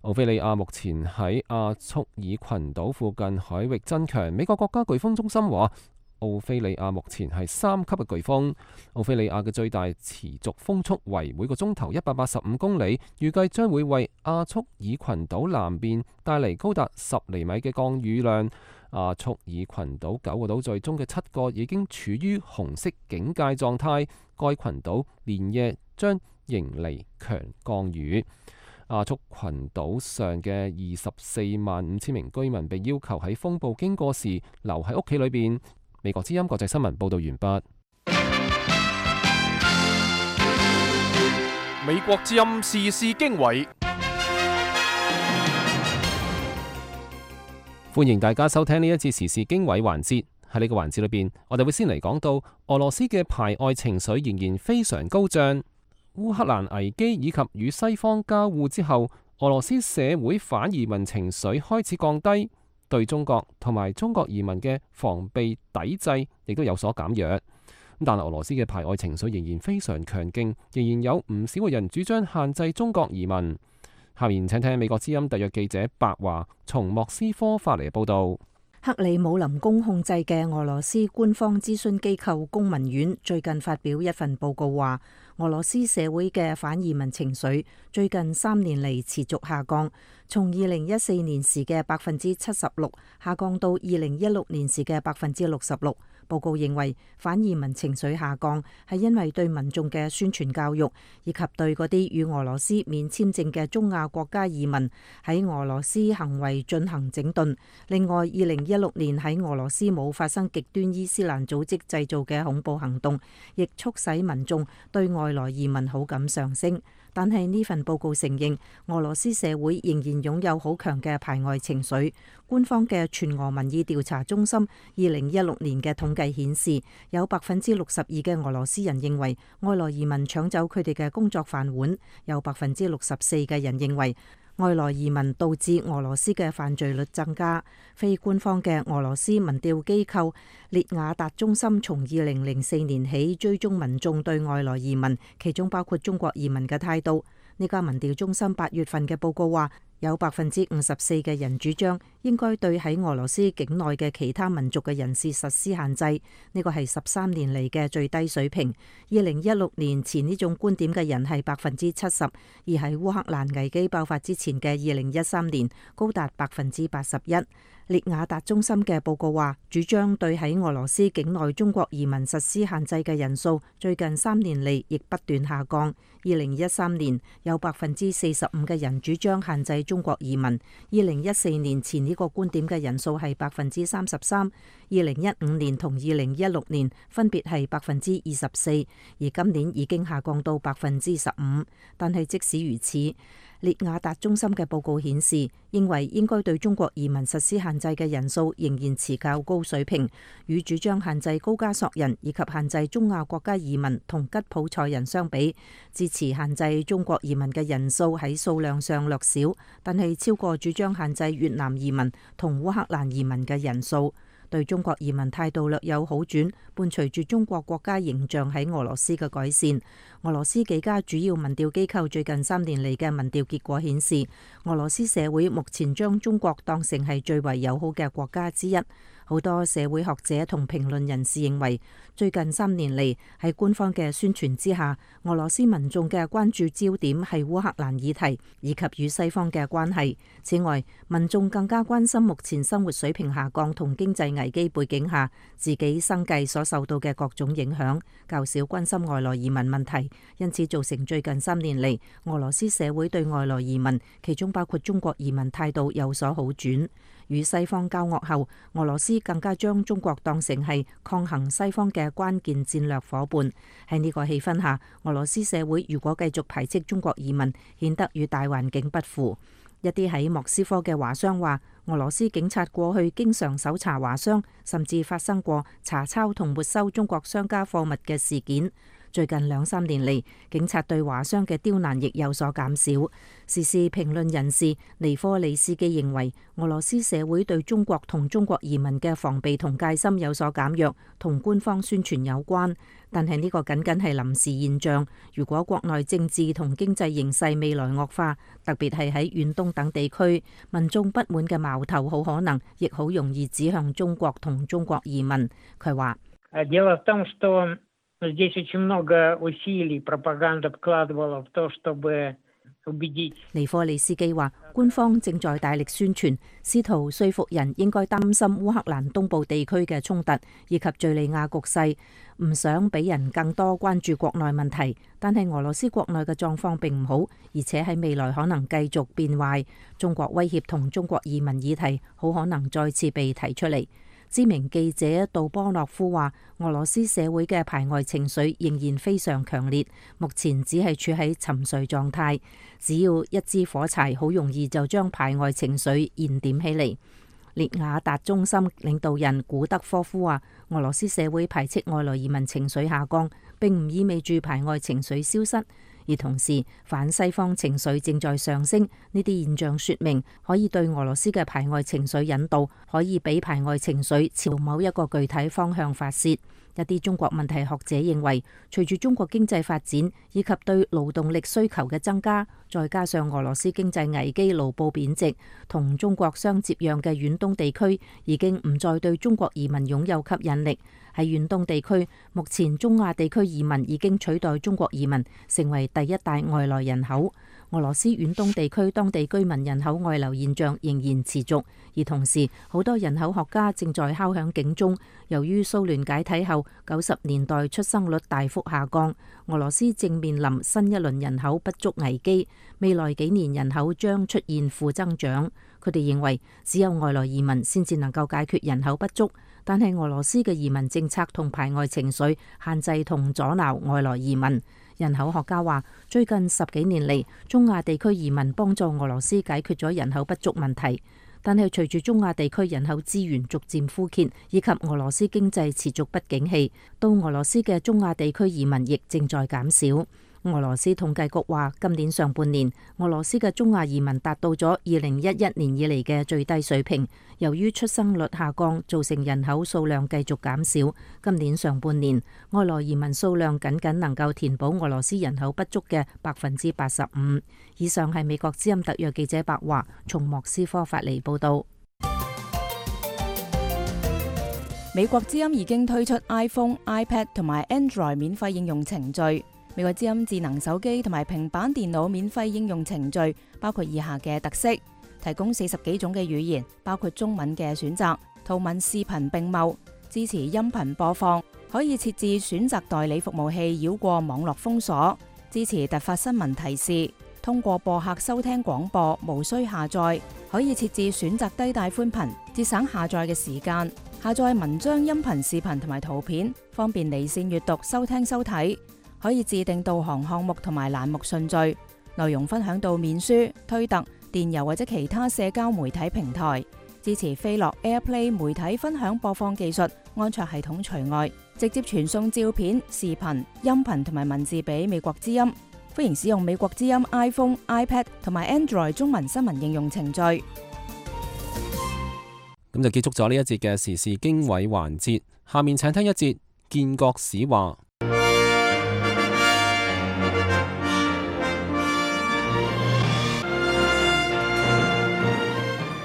奧菲利亞目前喺亞速爾群島附近海域增強。美國國家颶風中心話，奧菲利亞目前係3級嘅颶風。奧菲利亞嘅最大持續風速為每個鐘頭185公里，預計將會為亞速爾群島南邊帶嚟高達10厘米嘅降雨量。亞速爾群島9個島嶼中嘅7個已經處於紅色警戒狀態，該群島連夜將迎嚟強降雨。亞速群島上嘅24萬5千名居民被要求喺風暴經過時留喺屋企裏邊。美國之音國際新聞報道完畢。美國之音時事經緯，歡迎大家收聽呢一次時事經緯環節。喺呢個環節裏邊，我哋會先嚟講到俄羅斯嘅排外情緒仍然非常高漲。烏克蘭危機以及與西方交互之後，俄羅斯社會反移民情緒開始降低，對中國同埋中國移民嘅防備抵制亦都有所減弱。但係俄羅斯嘅排外情緒仍然非常強勁，仍然有唔少嘅人主張限制中國移民。下面請聽美國之音特約記者白華從莫斯科發嚟嘅報道。克里姆林宮控制嘅俄羅斯官方諮詢機構公民院最近發表一份報告話，俄羅斯社會嘅反移民情緒最近3年嚟持續下降，從2014年時嘅76%下降到2016年時嘅66%。報告認為反移民情緒下降係因為對民眾嘅宣傳教育，以及對嗰啲與俄羅斯免簽證嘅中亞國家移民喺俄羅斯行為進行整頓。另外，2016年喺俄羅斯冇發生極端伊斯蘭組織製造嘅恐怖行動，亦促使民眾對外來移民好感上升。但係呢份報告承認，俄羅斯社會仍然擁有好強嘅排外情緒。官方嘅全俄民意調查中心2016年嘅統計顯示，有62%嘅俄羅斯人認為外來移民搶走佢哋嘅工作飯碗，有64%嘅人認為外來移民導致俄羅斯嘅犯罪率增加。非官方嘅俄羅斯民調機構列雅達中心從2004年起追蹤民眾對外來移民，其中包括中國移民嘅態度。呢家民調中心8月份嘅報告話，有54%嘅人主張應該對喺俄羅斯境內嘅其他民族嘅人士實施限制，呢個係13年嚟嘅最低水平。2016年前呢種觀點嘅人係70%，而喺烏克蘭危機爆發之前嘅2013年高達81%。列雅達中心嘅報告話，主張對喺俄羅斯境內中國移民實施限制嘅人數最近3年嚟亦不斷下降。2013年有45%嘅人主張限制中國移民，2014年前呢個觀點嘅人數係33%， 2015年同2016年分別係24%，而今年已經下降到15%。但係即使如此，列雅達中心嘅報告顯示，認為應該對中國移民實施限制嘅人數仍然持較高水平，與主張限制高加索人以及限制中亞國家移民同吉普賽人相比，支持限制中國移民嘅人數喺數量上略少，但係超過主張限制越南移民同烏克蘭移民嘅人數。對中國移民態度略有好轉，伴隨住中國國家形象喺俄羅斯嘅改善。俄羅斯幾家主要民調機構最近3年嚟嘅民調結果顯示，俄羅斯社會目前將中國當成係最為友好嘅國家之一。好多社會學者同評論人士認為，最近3年嚟喺官方嘅宣傳之下，俄羅斯民眾嘅關注焦點係烏克蘭議題以及與西方嘅關係。此外，民眾更加關心目前生活水平下降同經濟危機背景下自己生計所受到嘅各種影響，較少關心外來移民問題，因此造成最近3年嚟俄羅斯社會對外來移民，其中包括中國移民態度有所好轉。與西方交惡後，俄羅斯更加將中國當成係抗衡西方嘅關鍵戰略夥伴。喺呢個氣氛下，俄羅斯社會如果繼續排斥中國移民，顯得與大環境不符。一啲喺莫斯科嘅華商話，俄羅斯警察過去經常搜查華商，甚至發生過查抄同沒收中國商家貨物嘅事件。最近2-3年嚟，警察對華商嘅刁難亦有所減少。時事評論人士尼科利斯基認為，俄羅斯社會對中國同中國移民嘅防備同戒心有所減弱，同官方宣傳有關。但係呢個僅僅係臨時現象。如果國內政治同經濟形勢未來惡化，特別係喺遠東等地區，民眾不滿嘅矛頭好可能亦好容易指向中國同中國移民。佢話：Дело в том, что здесь очень много усилий пропаганда вкладывала в то, чтобы убедить。尼科利斯基話，官方正在大力宣傳，試圖說服人應該擔心烏克蘭東部地區嘅衝突以及敘利亞局勢，唔想俾人更多關注國內問題。但係俄羅斯國內嘅狀況並唔好，而且喺未來可能繼續變壞。中國威脅同中國移民議題好可能再次被提出嚟。知名記者杜波諾夫話，俄羅斯社會嘅排外情緒仍然非常強烈，目前只係處喺沉睡狀態。只要一支火柴，好容易就將排外情緒燃點起嚟。列雅達中心領導人古德科夫話，俄羅斯社會排斥外來移民情緒下降，並唔意味住排外情緒消失。而同時，反西方情緒正在上升，呢啲現象說明可以對俄羅斯嘅排外情緒引導，可以俾排外情緒朝某一個具體方向發洩。一啲中國問題學者認為，隨住中國經濟發展以及對勞動力需求嘅增加，再加上俄羅斯經濟危機、盧布貶值，同中國相接壤嘅遠東地區已經唔再對中國移民擁有吸引力。喺遠東地區，目前中亞地區移民已經取代中國移民，成為第一大外來人口。俄羅斯遠東地區當地居民人口外流現象仍然持續，而同時好多人口學家正在敲響警鐘。由於蘇聯解體後90年代出生率大幅下降，俄羅斯正面臨新一輪人口不足危機，未來幾年人口將出現負增長。佢哋認為只有外來移民先至能夠解決人口不足，但係俄羅斯嘅移民政策同排外情緒限制同阻撓外來移民。人口學家話，最近10幾年嚟，中亞地區移民幫助俄羅斯解決咗人口不足問題。但係隨住中亞地區人口資源逐漸枯竭，以及俄羅斯經濟持續不景氣，到俄羅斯嘅中亞地區移民亦正在減少。俄羅斯統計局話，今年上半年俄羅斯嘅中亞移民達到咗2011年以嚟嘅最低水平。由於出生率下降，造成人口數量繼續減少。今年上半年外來移民數量僅僅能夠填補俄羅斯人口不足嘅85%。以上係美國之音特約記者白華從莫斯科發嚟報道。美國之音已經推出 iPhone、iPad 同埋 Android 免費應用程序。美國之音智能手機同埋平板電腦免費應用程序包括以下嘅特色：提供40幾種嘅語言，包括中文嘅選擇，圖文視頻並茂，支持音頻播放，可以設置選擇代理服務器繞過網絡封鎖，支持突發新聞提示，通過播客收聽廣播，無需下載，可以設置選擇低帶寬頻，節省下載嘅時間，下載文章、音頻、視頻同埋圖片，方便離線閱讀、收聽收睇。可以自定導航項目同埋欄目順序，內容分享到面書、推特、電郵或者其他社交媒體平台，支持飛樂 AirPlay 媒體分享播放技術，安卓系統除外，直接傳送照片、視頻、音頻同埋文字俾美國之音。歡迎使用美國之音 iPhone、iPad 同埋 Android 中文新聞應用程序。咁就結束咗呢一節嘅時事經緯環節，下面請聽一節建國史話。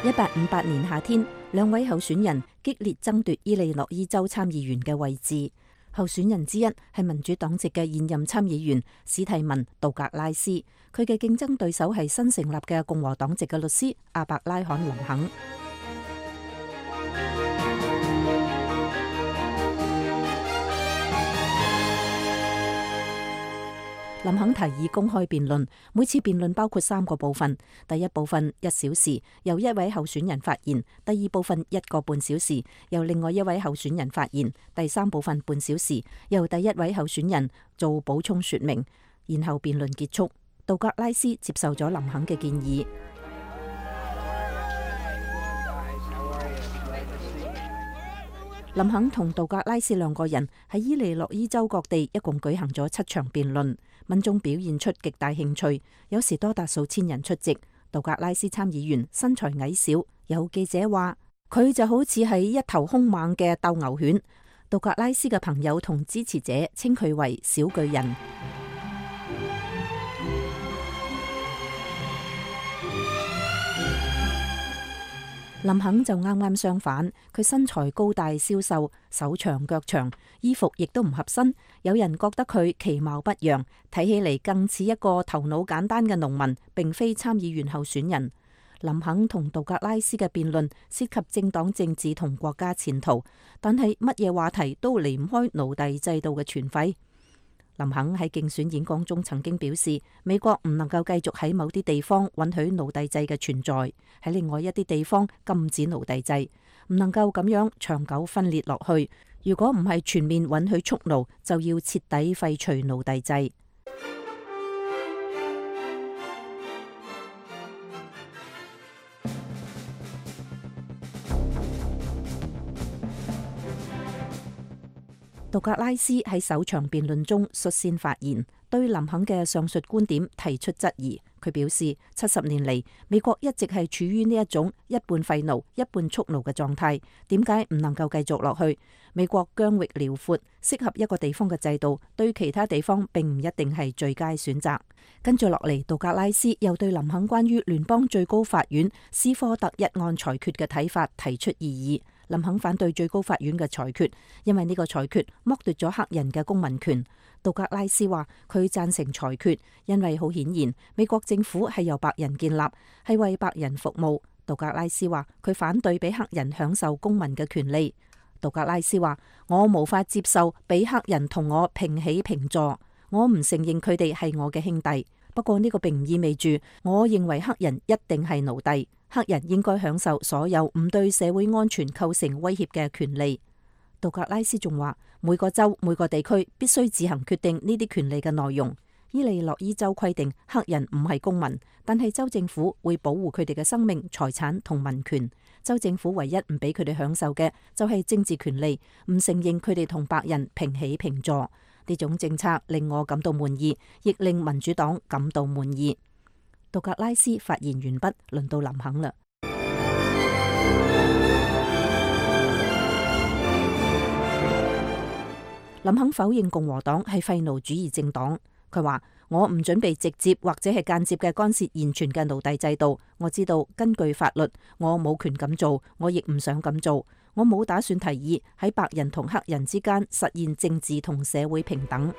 1858年夏天，兩位候選人激烈爭奪伊利諾伊州參議員嘅位置。候選人之一係民主黨籍嘅現任參議員史蒂文·杜格拉斯，佢嘅競爭對手係新成立嘅共和黨籍嘅律師阿伯拉罕·林肯。林肯提議公開辯論，每次辯論包括3個部分。第一部分1小時，由一位候選人發言；第二部分1個半小時，由另外一位候選人發言；第三部分半小時，由第一位候選人做補充說明。然後辯論結束。杜格拉斯接受咗林肯嘅建議。林肯同杜格拉斯兩個人喺伊利諾伊州各地一共舉行咗7場辯論，民眾表現出極大興趣，有時多達數千人出席。杜格拉斯參議員身材矮小，有記者話佢就好似係一頭兇猛嘅鬥牛犬。杜格拉斯嘅朋友同支持者稱佢為小巨人。林肯就啱啱相反，佢身材高大消瘦，手長腳長，衣服亦都唔合身。有人覺得佢其貌不揚，睇起嚟更似一個頭腦簡單嘅農民，並非參議員候選人。林肯同杜格拉斯嘅辯論涉及政黨政治同國家前途，但係乜嘢話題都離唔開奴隸制度嘅存廢。林肯喺競選演講中曾經表示，美國唔能夠繼續喺某啲地方允許奴隸制嘅存在，喺另外一啲地方禁止奴隸制，唔能夠咁樣長久分裂落去。如果唔係全面允許蓄奴，就要徹底廢除奴隸制。杜格拉斯喺首場辯論中率先發言，對林肯嘅上述觀點提出質疑。佢表示，70年嚟，美國一直係處於呢一種一半廢奴、一半蓄奴嘅狀態，點解唔能夠繼續落去？美國疆域遼闊，適合一個地方嘅制度，對其他地方並唔一定係最佳選擇。跟住落嚟，杜格拉斯又對林肯關於聯邦最高法院斯科特一案裁決嘅睇法提出異議。林肯反對最高法院嘅裁決，因為呢個裁決剝奪咗黑人嘅公民權。杜格拉斯話佢贊成裁決，因為好顯然美國政府係由白人建立，係為白人服務。杜格拉斯話佢反對俾黑人享受公民嘅權利。杜格拉斯話我無法接受俾黑人同我平起平坐，我唔承認佢哋係我嘅兄弟。不過呢個並唔意味住我認為黑人一定係奴隸。黑人應該享受所有唔對社會安全構成威脅嘅權利。杜格拉斯仲話，每個州每個地區必須自行決定呢啲權利嘅內容。伊利諾伊州規定黑人唔係公民，但係州政府會保護佢哋嘅生命、財產同民權。州政府唯一唔俾佢哋享受嘅就係政治權利，唔承認佢哋同白人平起平坐。呢種政策令我感到滿意，亦令民主黨感到滿意。杜格拉斯發言完畢，輪到林肯啦。林肯否認共和黨係廢奴主義政黨。佢話：我唔準備直接或者係間接嘅干涉現存嘅奴隸制度。我知道根據法律，我冇權咁做，我亦唔想咁做。我冇打算提議喺白人同黑人之間實現政治同社會平等。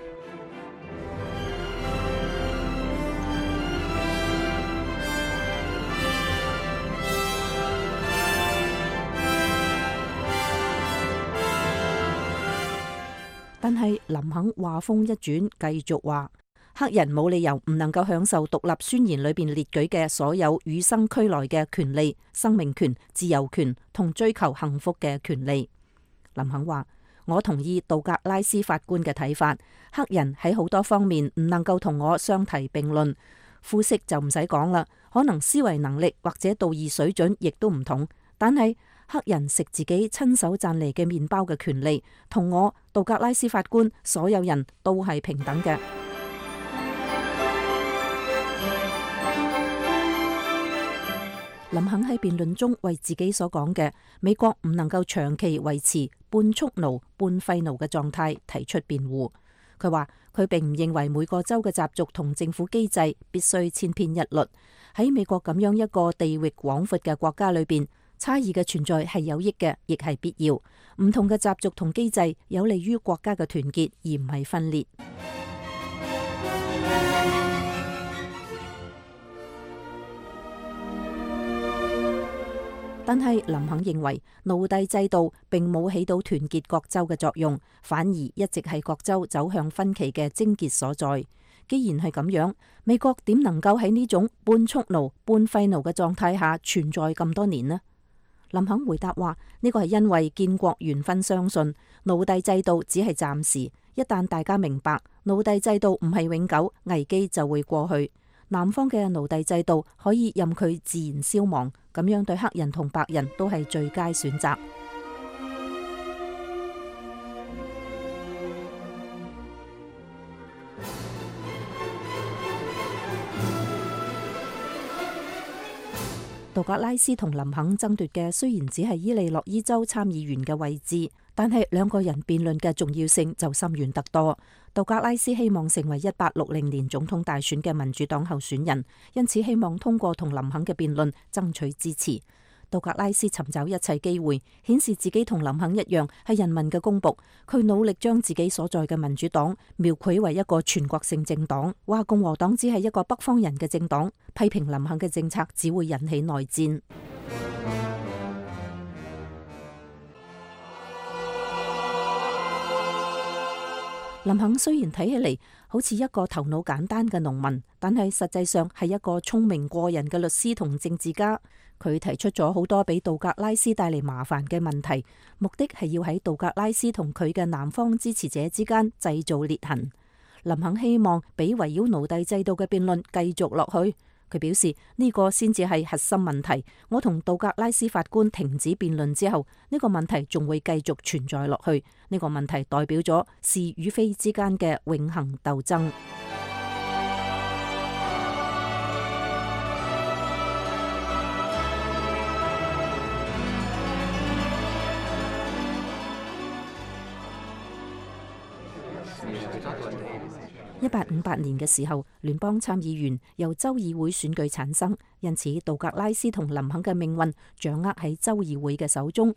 但係林肯話風一轉，繼續話黑人冇理由唔能夠享受獨立宣言裏邊列舉嘅所有與生俱來嘅權利、生命權、自由權同追求幸福嘅權利。林肯話：我同意杜格拉斯法官嘅睇法，黑人喺好多方面唔能夠同我相提並論。膚色就唔使講啦，可能思維能力或者道義水準亦都唔同，但係黑人食自己親手賺嚟嘅麵包嘅權利，同我杜格拉斯法官所有人都係平等嘅。林肯喺辯論中為自己所講嘅美國唔能夠長期維持半蓄奴半廢奴嘅狀態提出辯護。佢話佢並唔認為每個州嘅習俗同政府機制必須千篇一律。喺美國咁樣一個地域廣闊嘅國家裏邊，差異嘅存在係有益嘅，亦係必要。唔同嘅習俗同機制有利於國家嘅團結，而唔係分裂。但係林肯認為奴隸制度並冇起到團結各州嘅作用，反而一直係各州走向分歧嘅症結所在。既然係咁樣，美國點能夠喺呢種半蓄奴半廢奴嘅狀態下存在咁多年呢？林肯回答話：呢個係因為建國元勳相信奴隸制度只係暫時，一旦大家明白奴隸制度唔係永久，危機就會過去。南方嘅奴隸制度可以任佢自然消亡，咁樣對黑人同白人都係最佳選擇。杜格拉斯同林肯爭奪嘅雖然只係伊利諾伊州參議員嘅位置，但係兩個人辯論嘅重要性就深遠得多。杜格拉斯希望成為1860年總統大選嘅民主黨候選人，因此希望通過同林肯嘅辯論爭取支持。杜格拉斯尋找一切機會，顯示自己同林肯一樣係人民嘅公僕。佢努力將自己所在嘅民主黨描繪為一個全國性政黨，話共和黨只係一個北方人嘅政黨，批評林肯嘅政策只會引起內戰。林肯雖然睇起嚟好似一個頭腦簡單嘅農民，但係實際上係一個聰明過人嘅律師同政治家。佢提出咗好多俾杜格拉斯帶嚟麻煩嘅問題，目的係要喺杜格拉斯同佢嘅南方支持者之間製造裂痕。林肯希望俾圍繞奴隸制度嘅辯論繼續落去。佢表示呢個先至係核心問題。我同杜格拉斯法官停止辯論之後，呢個問題仲會繼續存在落去。呢個問題代表咗是與非之間嘅永恆鬥爭。1858年嘅時候，聯邦參議員由州議會選舉產生，因此杜格拉斯同林肯嘅命運掌握喺州議會嘅手中。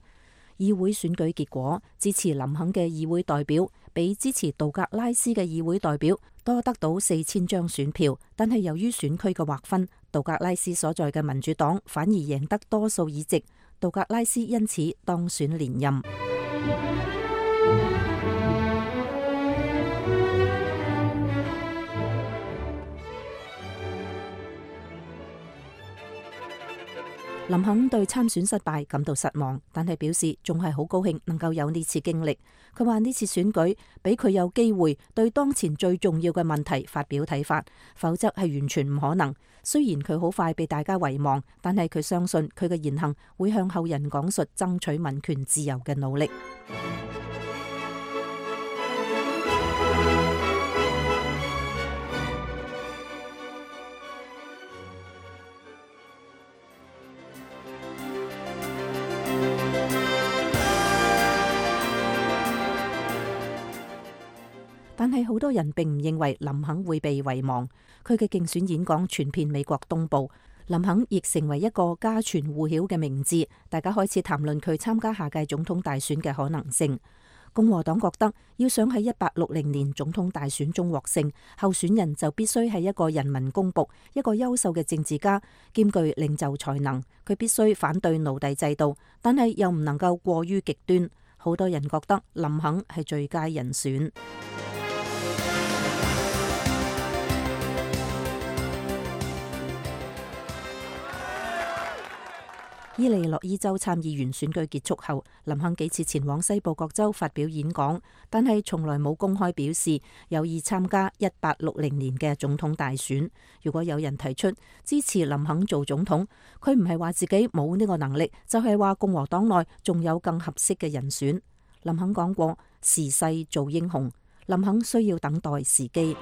議會選舉結果，支持林肯嘅議會代表比支持杜格拉斯嘅議會代表多得到4000張選票，但係由於選區嘅劃分，杜格拉斯所在嘅民主黨反而贏得多數議席，杜格拉斯因此當選連任。林肯對參選失敗感到失望，但係表示仲係好高興能夠有呢次經歷。佢話呢次選舉俾佢有機會對當前最重要嘅問題發表睇法，否則係完全唔可能。雖然佢好快被大家遺忘，但係佢相信佢嘅言行會向後人講述爭取民權自由嘅努力。但係好多人並唔認為林肯會被遺忘。佢嘅競選演講傳遍美國東部，林肯亦成為一個家傳戶曉嘅名字。大家開始談論佢參加下屆總統大選嘅可能性。共和黨覺得要想喺1860年總統大選中獲勝，候選人就必須係一個人民公僕，一個優秀嘅政治家，兼具領袖才能。佢必須反對奴隸制度，但係又唔能夠過於極端。好多人覺得林肯係最佳人選。伊利諾伊州參議員選舉結束後，林肯幾次前往西部各州發表演講，但係從來冇公開表示有意參加1860年嘅總統大選。如果有人提出支持林肯做總統，佢唔係話自己冇呢個能力，就係話共和黨內仲有更合適嘅人選。林肯講過：時勢造英雄，林肯需要等待時機。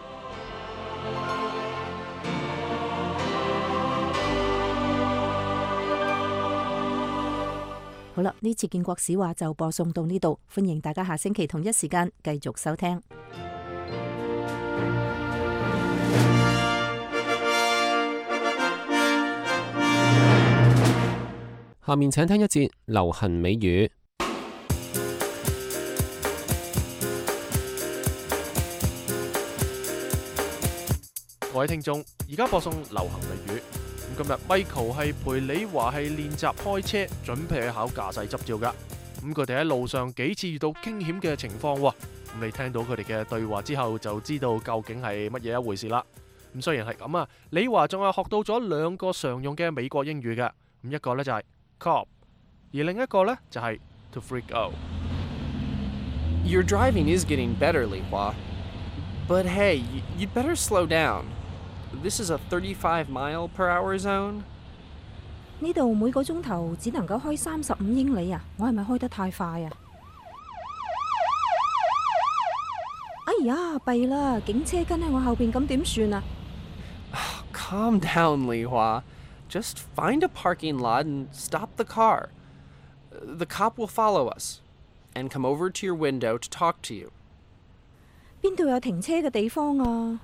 好啦，呢次建國史話就播送到呢度，歡迎大家下星期同一時間繼續收聽。下面請聽一節流行美語。各位聽眾，而家播送流行美語。今日 Michael 係陪李華係練習開車，準備去考駕駛執照噶。咁佢哋喺路上幾次遇到驚險嘅情況，咁你聽到佢哋嘅對話之後，就知道究竟係乜嘢一回事啦。咁雖然係咁啊，李華仲係學到咗2個常用嘅美國英語嘅。咁一個呢就係 cop， 而另一個呢就係 to freak out。 Your driving is getting better, Li Hua. But hey, you'd better slow down.This is a 35-mile-per-hour zone. 呢度每個鐘頭只能夠開35英里啊！我係咪開得太快啊？哎呀，弊啦！警車跟喺我後邊，咁點算啊？ Calm down, Li Hua. Just find a parking lot and stop the car. The cop will follow us and come over to your window to talk to you. 邊度有停車嘅地方啊？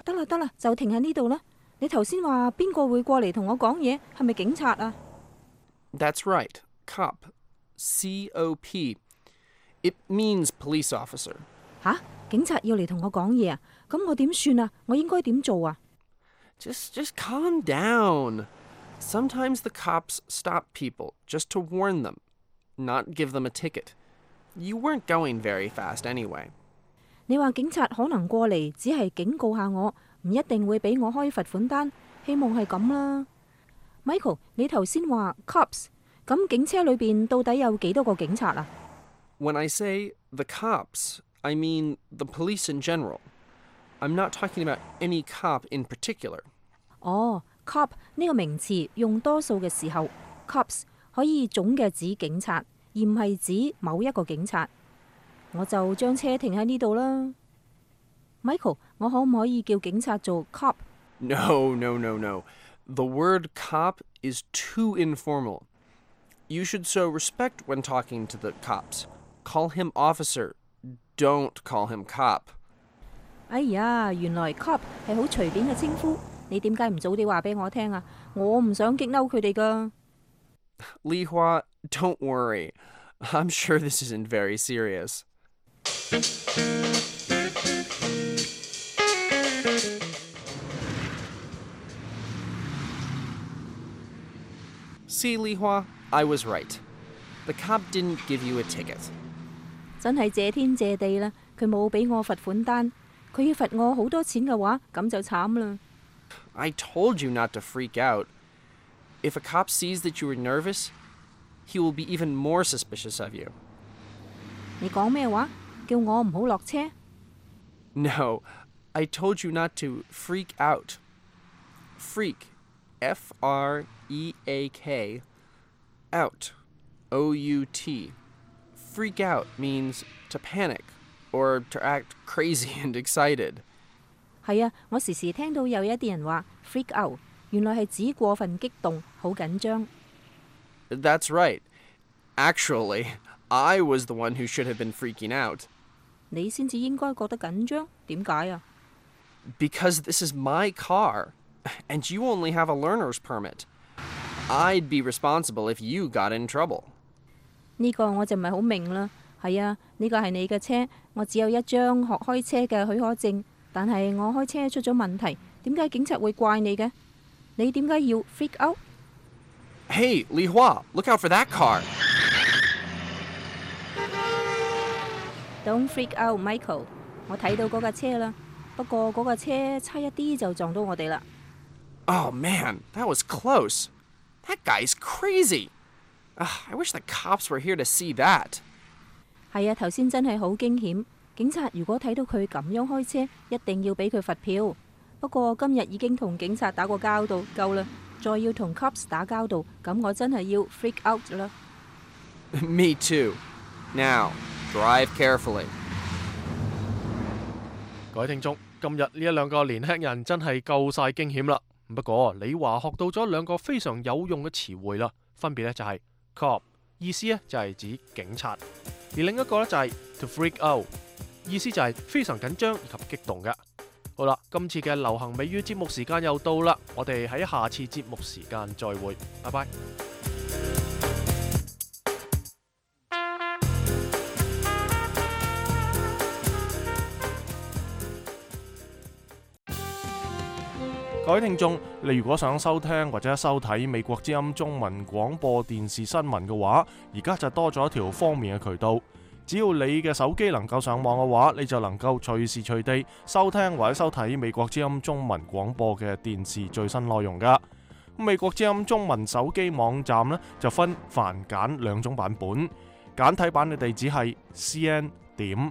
得啦得啦，就停喺呢度啦。你頭先話邊個會過嚟同我講嘢？係咪警察啊？ That's right. Cop. C-O-P. It means police officer. 吓？警察要嚟同我講嘢啊？咁我點算啊？我應該點做啊？ Just calm down. Sometimes the cops stop people just to warn them, not give them a ticket. You weren't going very fast anyway. 你話警察可能過嚟，只係警告下我，唔一定會俾我開罰款單。希望係咁啦。Michael， 你頭先話 cops， 咁警車裏邊到底有幾多個警察啊？ When I say the cops, I mean the police in general. I'm not talking about any cop in particular. 哦 ，cop 呢個名詞用多數嘅時候 ，cops 可以總嘅指警察，而唔係指某一個警察。我就將車停喺呢度啦。Michael， 我可唔可以叫警察做 cop？ No. The word cop is too informal. You should show respect when talking to the cops. Call him officer. Don't call him cop. 哎呀，原來 cop 係好隨便嘅稱呼，你點解唔早啲話俾我聽啊？我唔想激嬲佢哋㗎。Li Hua, don't worry. I'm sure this isn't very serious. See, Li Hua, I was right. The cop didn't give you a ticket. 真係謝天謝地啦，佢冇俾我罰款單，佢要罰我好多錢嘅話，咁就慘啦。I told you not to freak out. If a cop sees that you are nervous, he will be even more suspicious of you. 你講咩話？叫我唔好落車？ No, I told you not to freak out. Freak, F-R-E-A-K, out, O-U-T. Freak out means to panic or to act crazy and excited. 係啊，我時時聽到有一啲人話 freak out， 原來係指過分激動，好緊張。 That's right. Actually, I was the one who should have been freaking out. 你先至應該覺得緊張，點解啊？ Because this is my car, and you only have a learner's permit. I'd be responsible if you got in trouble. 呢個我就唔係好明啦。係啊，呢個係你嘅車，我只有一張學開車嘅許可證，但係我開車出咗問題，點解警察會怪你嘅？你點解要 freak out？ Hey, Li Hua, look out for that car. Don't freak out, Michael。我睇到嗰架車啦，不過嗰架車差一啲就撞到我哋啦。Oh man, that was close. That guy's crazy. I wish the cops were here to see that. 係啊，頭先真係好驚險。警察如果睇到佢咁樣開車，一定要俾佢罰票。不過今日已經同警察打過交道，夠啦，再要同 cops 打交道，咁我真係要 freak out 啦。Me too. Now, drive carefully. 各位聽眾，今日呢一兩個年輕人真係夠晒驚險啦。不過李華學到咗兩個非常有用嘅詞彙啦，分別呢就係 cop， 意思呢就係指警察，而另一個呢就係 to freak out， 意思就係非常緊張以及激動嘅。好啦，今次嘅流行美語節目時間又到啦，我哋喺下次節目時間再會，拜拜。各位聽眾，你如果想收聽或者收睇美國之音中文廣播電視新聞嘅話，而家就多咗一條方便嘅渠道。只要你嘅手機能夠上網嘅話，你就能夠隨時隨地收聽或者收睇美國之音中文廣播嘅電視最新內容噶。美國之音中文手機網站呢，就分繁簡兩種版本，簡體版嘅地址係 cn.voa.mobi。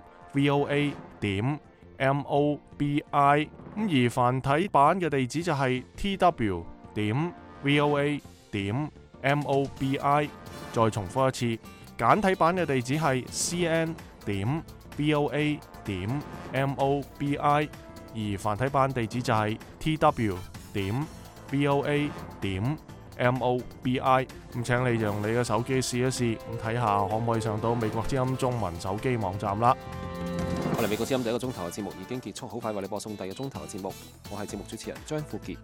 而繁體版嘅地址就係 tw.voa.mobi。再重複一次，簡體版嘅地址係 cn.voa.mobi。而繁體版地址就係 tw.voa.mobi。咁請你用你嘅手機試一試，咁睇下可唔可以上到美國之音中文手機網站啦。我哋美國之音第一個鐘頭嘅節目已經結束，好快為你播送第二個鐘頭嘅節目。我係節目主持人張富傑。